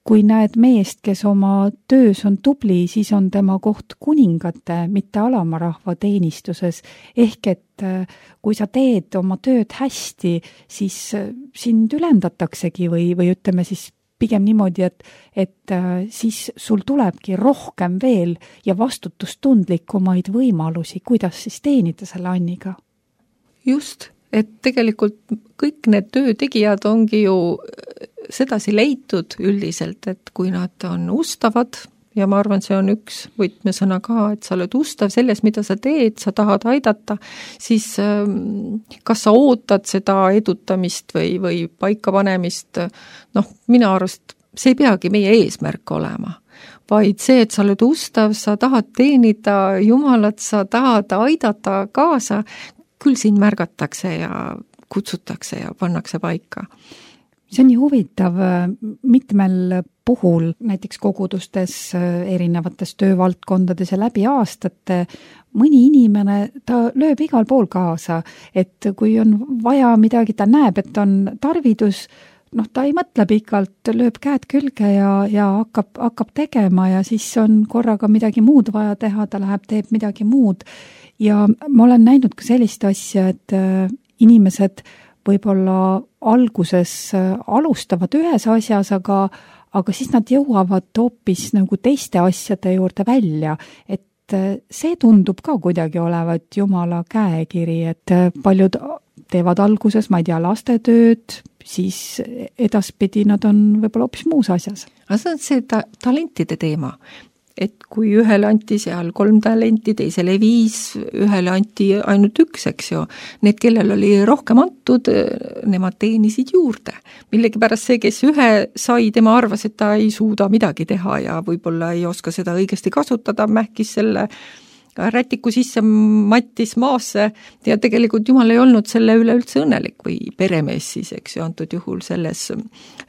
Kui näed meest, kes oma töös on tubli, siis on tema koht kuningate, mitte alamarahva teenistuses. Ehk et kui sa teed oma tööd hästi, siis sind ülendataksegi või ütleme siis pigem niimoodi, et siis sul tulebki rohkem veel ja vastutustundlikumaid võimalusi, kuidas siis teenida selle anniga. Just, et tegelikult kõik need töötegijad ongi ju sedasi leitud üldiselt, et kui nad on ustavad, ja ma arvan, see on üks võtmesõna ka, et sa oled ustav selles, mida sa teed, sa tahad aidata, siis kas sa ootad seda edutamist või paikapanemist, mina arvast, see ei peagi meie eesmärk olema, vaid see, et sa oled ustav, sa tahad teenida Jumalat, sa tahad aidata kaasa, küll sind märgatakse ja kutsutakse ja pannakse paika. See on nii huvitav mitmel puhul, näiteks kogudustes, erinevates töövaldkondades ja läbi aastate, mõni inimene, ta lööb igal pool kaasa, et kui on vaja midagi, ta näeb, et on tarvidus, ta ei mõtle pikalt, lööb käed külge ja hakkab tegema ja siis on korraga midagi muud vaja teha, ta läheb, teeb midagi muud. Ja ma olen näinud ka sellist asja, et inimesed võib-olla alguses alustavad ühes asjas, aga siis nad jõuavad hoopis nagu teiste asjade juurde välja, et see tundub ka kuidagi olevat Jumala käekiri, et paljud teevad alguses, ma ei tea, lastetööd, siis edaspidi nad on võib-olla hoopis muus asjas. Aga see on see talentide teema. Et kui ühele anti seal 3 talenti, teisele 5, ühele anti ainult 1, eks ju. Need, kellel oli rohkem antud, nemad teenisid juurde. Millegipärast see, kes ühe sai, tema arvas, et ta ei suuda midagi teha ja võib-olla ei oska seda õigesti kasutada, mähkis selle rätiku sisse mattis maasse ja tegelikult Jumal ei olnud selle üle üldse õnnelik või peremees siis, eks ju, antud juhul selles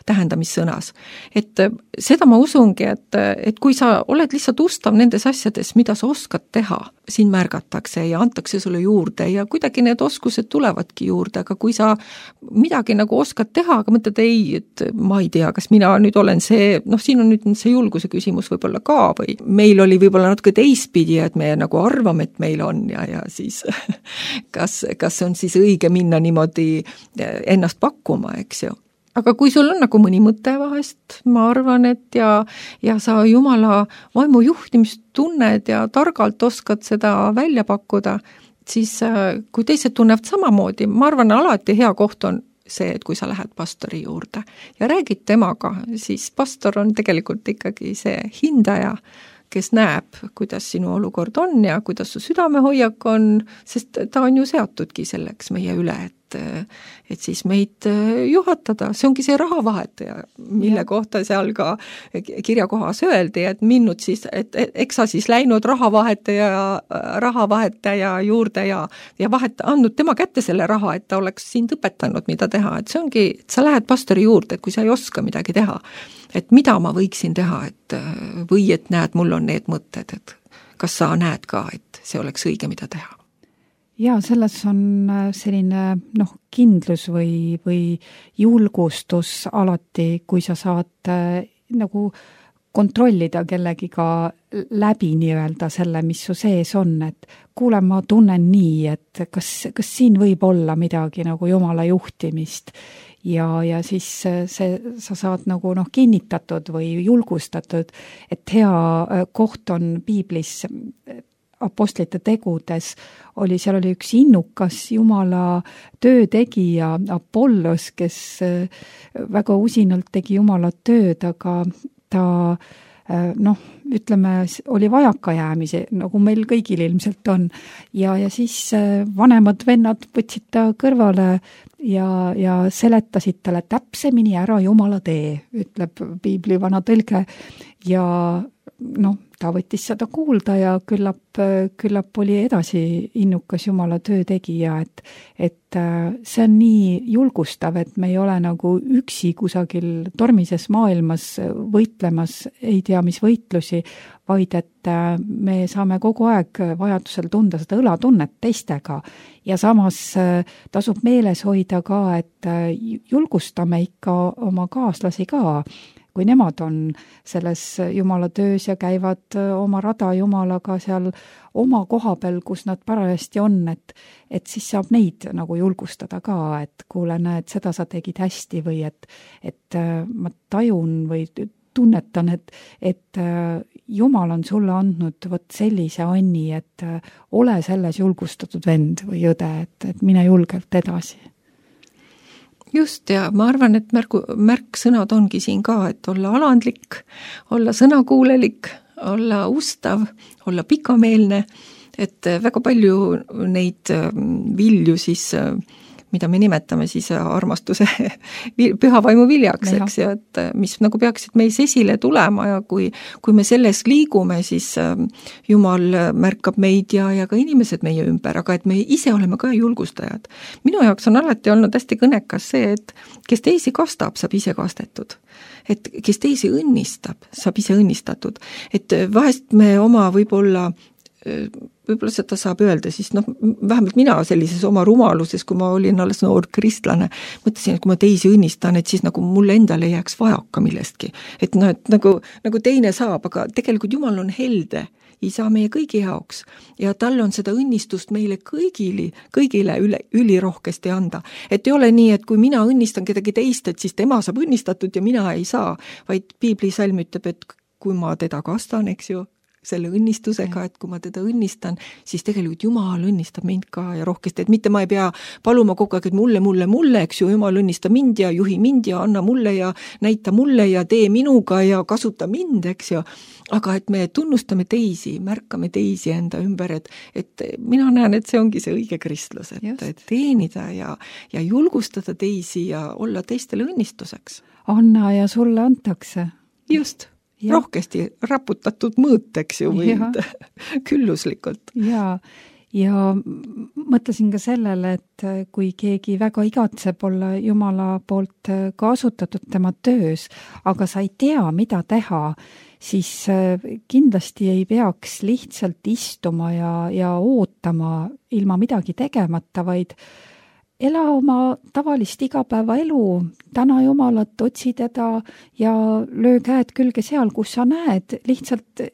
tähendamissõnas. Et seda ma usungi, et kui sa oled lihtsalt ustav nendes asjades, mida sa oskad teha, sind märgatakse ja antakse sulle juurde ja kuidagi need oskused tulevadki juurde, aga kui sa midagi nagu oskad teha, aga mõtled ei, et ma ei tea, kas mina nüüd olen see, siin on nüüd see julguse küsimus võib-olla ka või meil oli võib-olla natuke teistpidi, et me nagu arvame, et meil on ja siis kas on siis õige minna niimoodi ennast pakkuma, eks ju. Aga kui sul on nagu mõni mõte vahest, ma arvan, et ja sa Jumala vaimu juhtimist tunned ja targalt oskad seda välja pakkuda, siis kui teised tunnevad samamoodi, ma arvan, alati hea koht on see, et kui sa lähed pastori juurde ja räägid temaga, siis pastor on tegelikult ikkagi see hindaja, kes näeb, kuidas sinu olukord on ja kuidas su südamehoiak on, sest ta on ju seatudki selleks meie üle, et siis meid juhatada, see ongi see rahavahetaja, mille kohta seal ka kirjakohas öeldi, et minnud siis, et eks sa siis läinud rahavahetaja juurde ja andnud tema kätte selle raha, et ta oleks sind õpetanud, mida teha, et see ongi, et sa lähed pastori juurde, et kui sa ei oska midagi teha, et mida ma võiksin teha, või et näed, mul on need mõtted, et kas sa näed ka, et see oleks õige, mida teha? Ja selles on selline kindlus või julgustus alati, kui sa saad nagu kontrollida kellegiga läbi nii-öelda selle, mis su sees on, et kuule, ma tunnen nii, et kas siin võib olla midagi nagu Jumala juhtimist ja siis sa saad nagu kinnitatud või julgustatud, et hea koht on piiblis apostlite tegudes seal oli üks innukas Jumala töötegija Apollos, kes väga usinalt tegi Jumala tööd, aga ta ütleme, oli vajakajäämise, nagu meil kõigil ilmselt on. Ja siis vanemad vennad võtsid ta kõrvale ja seletasid talle täpsemini ära Jumala tee, ütleb piibli vana tõlge. Ja ta võttis seda kuulda ja küllap oli edasi innukas Jumala töötegija, et see on nii julgustav, et me ei ole nagu üksi kusagil tormises maailmas võitlemas, ei tea mis võitlusi, vaid et me saame kogu aeg vajadusel tunda seda õlatunnet teistega ja samas tasub meeles hoida ka, et julgustame ikka oma kaaslasi ka, kui nemad on selles Jumala töös ja käivad oma rada Jumalaga seal oma koha peal, kus nad parajasti on, et siis saab neid nagu julgustada ka, et kuule, näed, seda sa tegid hästi või et ma tajun või tunnetan, et Jumal on sulle andnud vot sellise anni, et ole selles julgustatud vend või õde, et mine julgelt edasi. Just, ja ma arvan, et märksõnad ongi siin ka, et olla alandlik, olla sõnakuulelik, olla ustav, olla pikameelne, et väga palju neid vilju siis, mida me nimetame siis armastuse püha vaimu viljaks, eks ju, et mis nagu peaksid meis esile tulema ja kui me selles liigume, siis Jumal märkab meid ja ka inimesed meie ümber, aga et me ise oleme ka julgustajad. Minu jaoks on alati olnud hästi kõnekas see, et kes teisi kastab, saab ise kastetud. Et kes teisi õnnistab, saab ise õnnistatud. Et vahest me oma võib-olla seda saab öelda, siis vähemalt mina sellises oma rumaluses, kui ma olin alles noor kristlane, mõtlesin, et kui ma teisi õnnistan, et siis nagu mulle endale jääks vajaka millestki. Et nagu teine saab, aga tegelikult Jumal on helde, isa meie kõigi jaoks ja tal on seda õnnistust meile kõigile ülirohkesti anda. Et ei ole nii, et kui mina õnnistan kedagi teist, et siis tema saab õnnistatud ja mina ei saa, vaid piiblisalm ütleb, et kui ma teda kastan, eks ju, selle õnnistusega, et kui ma teda õnnistan, siis tegelikult Jumal õnnistab mind ka ja rohkesti, et mitte ma ei pea paluma kogu aeg, et mulle, eks ju, Jumal õnnista mind ja juhi mind ja anna mulle ja näita mulle ja tee minuga ja kasuta mind, eks ju, aga et me tunnustame teisi, märkame teisi enda ümber, et mina näen, et see ongi see õige kristlus, et teenida ja julgustada teisi ja olla teistele õnnistuseks. Anna ja sulle antakse. Just. rohkesti raputatud mõõteks ju või külluslikult. Ja mõtlesin ka sellele, et kui keegi väga igatseb olla Jumala poolt kasutatud tema töös, aga sa ei tea, mida teha, siis kindlasti ei peaks lihtsalt istuma ja ootama ilma midagi tegemata, vaid ela oma tavalist igapäevaelu, täna Jumalat, otsi teda ja löö käed külge seal, kus sa näed, lihtsalt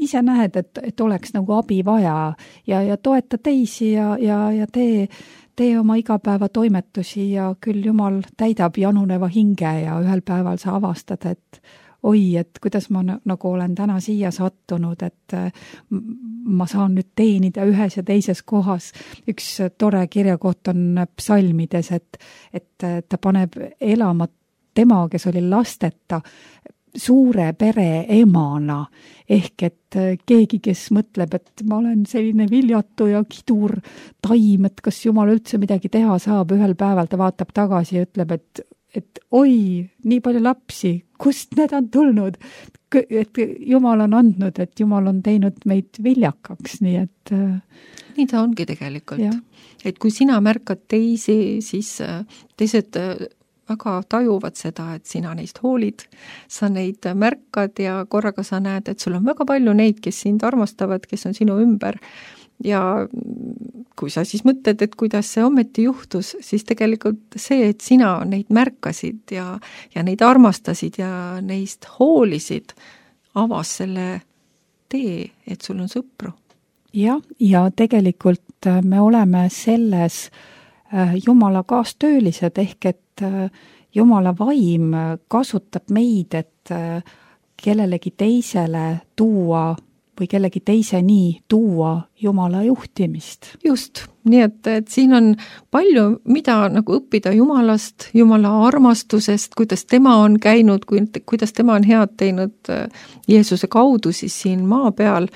ise näed, et oleks nagu abi vaja ja toeta teisi ja tee oma igapäeva toimetusi ja küll Jumal täidab januneva hinge ja ühel päeval sa avastad, et oi, et kuidas ma nagu olen täna siia sattunud, et ma saan nüüd teenida ühes ja teises kohas. Üks tore kirjakoht on psalmides, et ta paneb elama tema, kes oli lasteta, suure pere emana, ehk et keegi, kes mõtleb, et ma olen selline viljatu ja kidur taim, et kas Jumal üldse midagi teha saab, ühel päeval ta vaatab tagasi ja ütleb, et oi, nii palju lapsi, kust need on tulnud, et Jumal on andnud, et Jumal on teinud meid viljakaks, nii et nii ta ongi tegelikult. Et kui sina märkad teisi, siis teised väga tajuvad seda, et sina neist hoolid, sa neid märkad ja korraga sa näed, et sul on väga palju neid, kes sind armastavad, kes on sinu ümber. Ja kui sa siis mõtled, et kuidas see ometi juhtus, siis tegelikult see, et sina neid märkasid ja neid armastasid ja neist hoolisid, avas selle tee, et sul on sõpru. Ja tegelikult me oleme selles Jumala kaastöölised, ehk et Jumala vaim kasutab meid, et kellelegi teisele tuua või kellegi teiseni tuua Jumala juhtimist. Just, nii et siin on palju, mida nagu õppida Jumalast, Jumala armastusest, kuidas tema on käinud, kuidas tema on head teinud Jeesuse kaudu siis siin maa peal.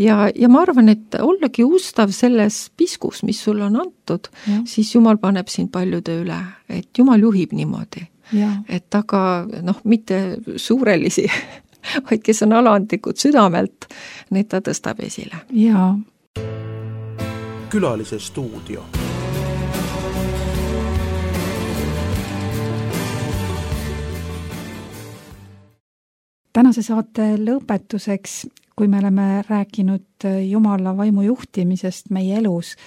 Ja ma arvan, et ollagi ustav selles piskus, mis sul on antud, siis Jumal paneb sind paljude üle, et Jumal juhib niimoodi. Et aga mitte suurelisi, vaid kes on alandlikud südamelt, need ta tõstab esile. Külalise stuudio. Tänase saate lõpetuseks, kui me oleme rääkinud Jumala vaimu juhtimisest meie elus,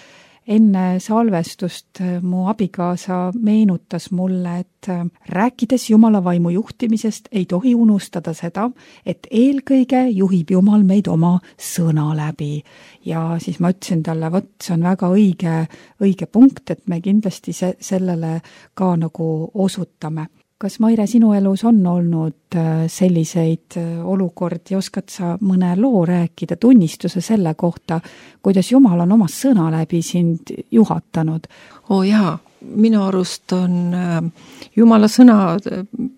enne salvestust mu abikaasa meenutas mulle, et rääkides Jumala vaimu juhtimisest ei tohi unustada seda, et eelkõige juhib Jumal meid oma sõna läbi. Ja siis ma ütlesin talle, see on väga õige punkt, et me kindlasti sellele ka nagu osutame. Kas Maire, sinu elus on olnud selliseid olukordi, oskad sa mõne loo rääkida, tunnistuse selle kohta, kuidas Jumal on oma sõna läbi sind juhatanud? Minu arust on Jumala sõna,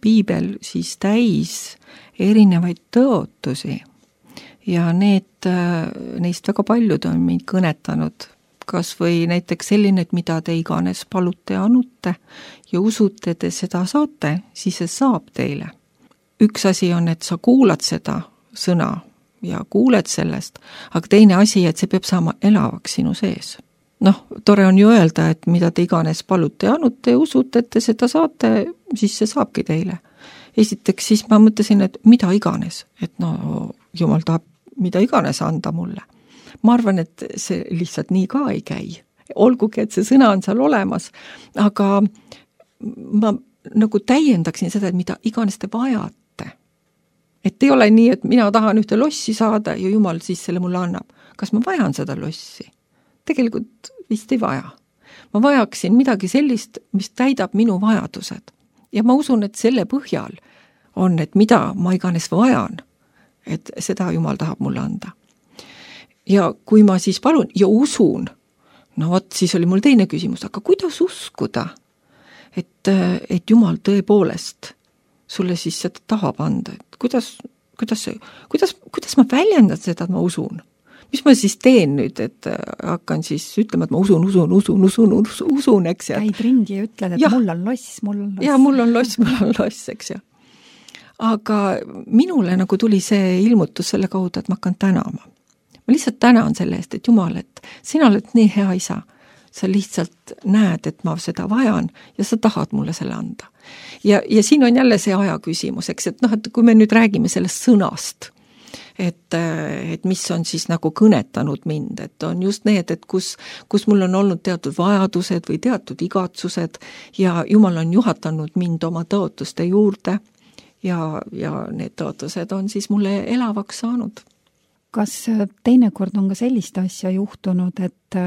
piibel siis täis erinevaid tõotusi ja neist väga paljud on mind kõnetanud. Kas või näiteks selline, et mida te iganes palute ja anute ja usute, te seda saate, siis see saab teile. Üks asi on, et sa kuulad seda sõna ja kuuled sellest, aga teine asi, et see peab saama elavaks sinu sees. Tore on ju öelda, et mida te iganes palute ja anute ja usute, et te seda saate, siis see saabki teile. Esiteks siis ma mõtlesin, et mida iganes, et Jumal tahab mida iganes anda mulle. Ma arvan, et see lihtsalt nii ka ei käi. Olgugi, et see sõna on seal olemas, aga ma nagu täiendaksin seda, et mida iganes te vajate. Et ei ole nii, et mina tahan ühte lossi saada ja Jumal siis selle mulle annab. Kas ma vajan seda lossi? Tegelikult vist ei vaja. Ma vajaksin midagi sellist, mis täidab minu vajadused. Ja ma usun, et selle põhjal on, et mida ma iganes vajan, et seda Jumal tahab mulle anda. Ja kui ma siis palun ja usun, siis oli mul teine küsimus, aga kuidas uskuda, et Jumal tõepoolest sulle siis seda tahab anda, et kuidas ma väljendan seda, et ma usun? Mis ma siis teen nüüd, et hakkan siis ütlema, et ma usun, eks. Käid ringi ja ütled, et mul on loss. Ja mul on loss, eks ja. aga minule nagu tuli see ilmutus selle kaudu, et ma hakkan tänama. Ma lihtsalt tänan selle eest, et Jumal, et sina oled nii hea isa. Sa lihtsalt näed, et ma seda vajan ja sa tahad mulle selle anda. Ja siin on jälle see aja küsimus, eks, et et kui me nüüd räägime sellest sõnast, et mis on siis nagu kõnetanud mind, et on just need, et kus mul on olnud teatud vajadused või teatud igatsused ja Jumal on juhatanud mind oma tõotuste juurde ja need tõotused on siis mulle elavaks saanud. Kas teinekord on ka sellist asja juhtunud, et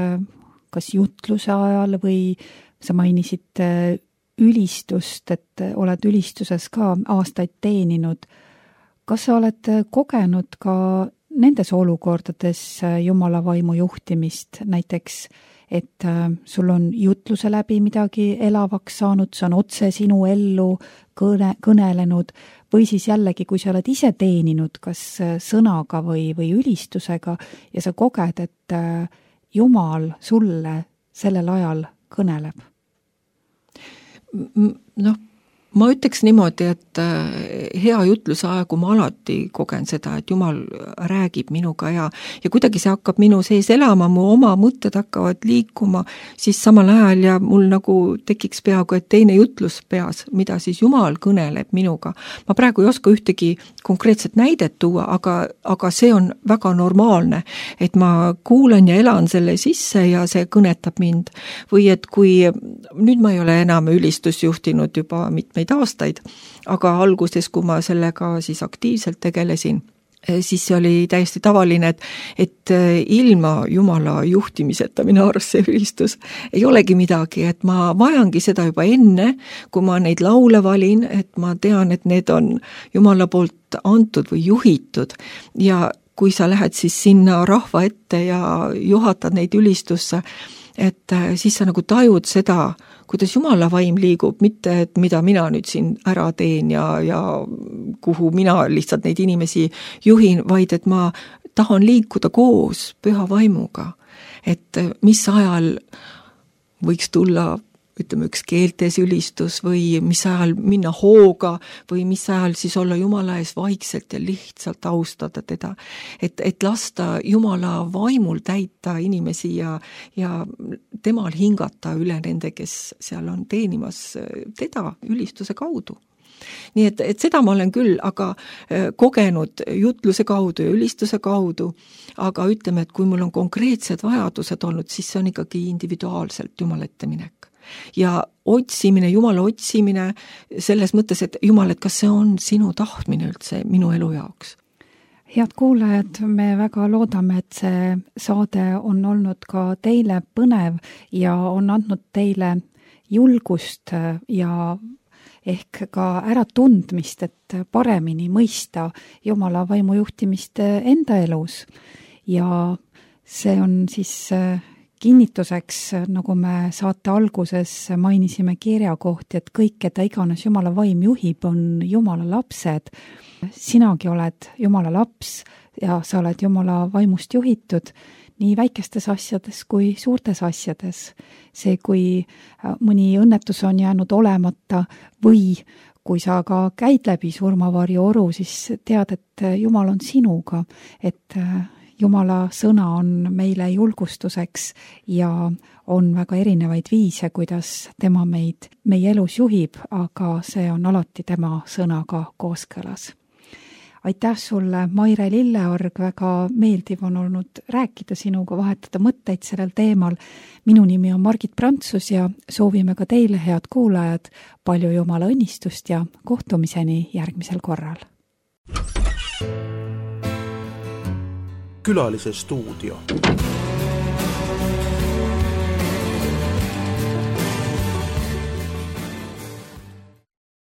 kas jutluse ajal või sa mainisid ülistust, et oled ülistuses ka aastaid teeninud, kas sa oled kogenud ka nendes olukordades Jumala vaimu juhtimist, näiteks, et sul on jutluse läbi midagi elavaks saanud, see on otse sinu ellu kõnelenud, või siis jällegi, kui sa oled ise teeninud, kas sõnaga või ülistusega ja sa koged, et Jumal sulle sellel ajal kõneleb? Ma ütleks niimoodi, et hea jutluse aegu ma alati kogen seda, et Jumal räägib minuga ja kuidagi see hakkab minu sees elama, mu oma mõtted hakkavad liikuma, siis samal ajal ja mul nagu tekiks peaaegu, et teine jutlus peas, mida siis Jumal kõneleb minuga. Ma praegu ei oska ühtegi konkreetset näidet tuua, aga see on väga normaalne, et ma kuulen ja elan selle sisse ja see kõnetab mind. Või et kui nüüd ma ei ole enam ülistust juhtinud juba mitmeid aastaid, aga alguses, kui ma sellega siis aktiivselt tegelesin, siis see oli täiesti tavaline, et ilma Jumala juhtimiseta minu arust see ülistus ei olegi midagi, et ma vajangi seda juba enne, kui ma neid laule valin, et ma tean, et need on Jumala poolt antud või juhitud ja kui sa lähed siis sinna rahva ette ja juhatad neid ülistusse, et siis sa nagu tajud seda, kuidas Jumala vaim liigub, mitte et mida mina nüüd siin ära teen ja kuhu mina lihtsalt neid inimesi juhin, vaid et ma tahan liikuda koos püha vaimuga. Et mis ajal võiks tulla, ütleme, üks keeltes ülistus või mis ajal minna hooga või mis ajal siis olla Jumala ees vaikselt ja lihtsalt austada teda. Et lasta Jumala vaimul täita inimesi ja temal hingata üle nende, kes seal on teenimas teda ülistuse kaudu. Nii et seda ma olen küll aga kogenud jutluse kaudu ja ülistuse kaudu, aga ütleme, et kui mul on konkreetsed vajadused olnud, siis see on ikkagi individuaalselt Jumala ette minek. Ja otsimine, Jumala otsimine selles mõttes, et Jumal, et kas see on sinu tahtmine üldse minu elu jaoks? Head kuulajad, me väga loodame, et see saade on olnud ka teile põnev ja on andnud teile julgust ja ehk ka äratundmist, et paremini mõista Jumala vaimu juhtimist enda elus. Ja see on siis kinnituseks, nagu me saate alguses mainisime kirja kohti, et kõik, keda iganes Jumala vaim juhib, on Jumala lapsed. Sinagi oled Jumala laps ja sa oled Jumala vaimust juhitud nii väikestes asjades kui suurtes asjades. See, kui mõni õnnetus on jäänud olemata või kui sa ka käid läbi surmavarju oru, siis tead, et Jumal on sinuga, et Jumala sõna on meile julgustuseks ja on väga erinevaid viise, kuidas tema meie elus juhib, aga see on alati tema sõnaga kooskõlas. Aitäh sulle, Maire Lilleorg, väga meeldiv on olnud rääkida sinuga, vahetada mõtteid sellel teemal. Minu nimi on Margit Prantsus ja soovime ka teile, head kuulajad, palju Jumala õnnistust ja kohtumiseni järgmisel korral. Külalise stuudio.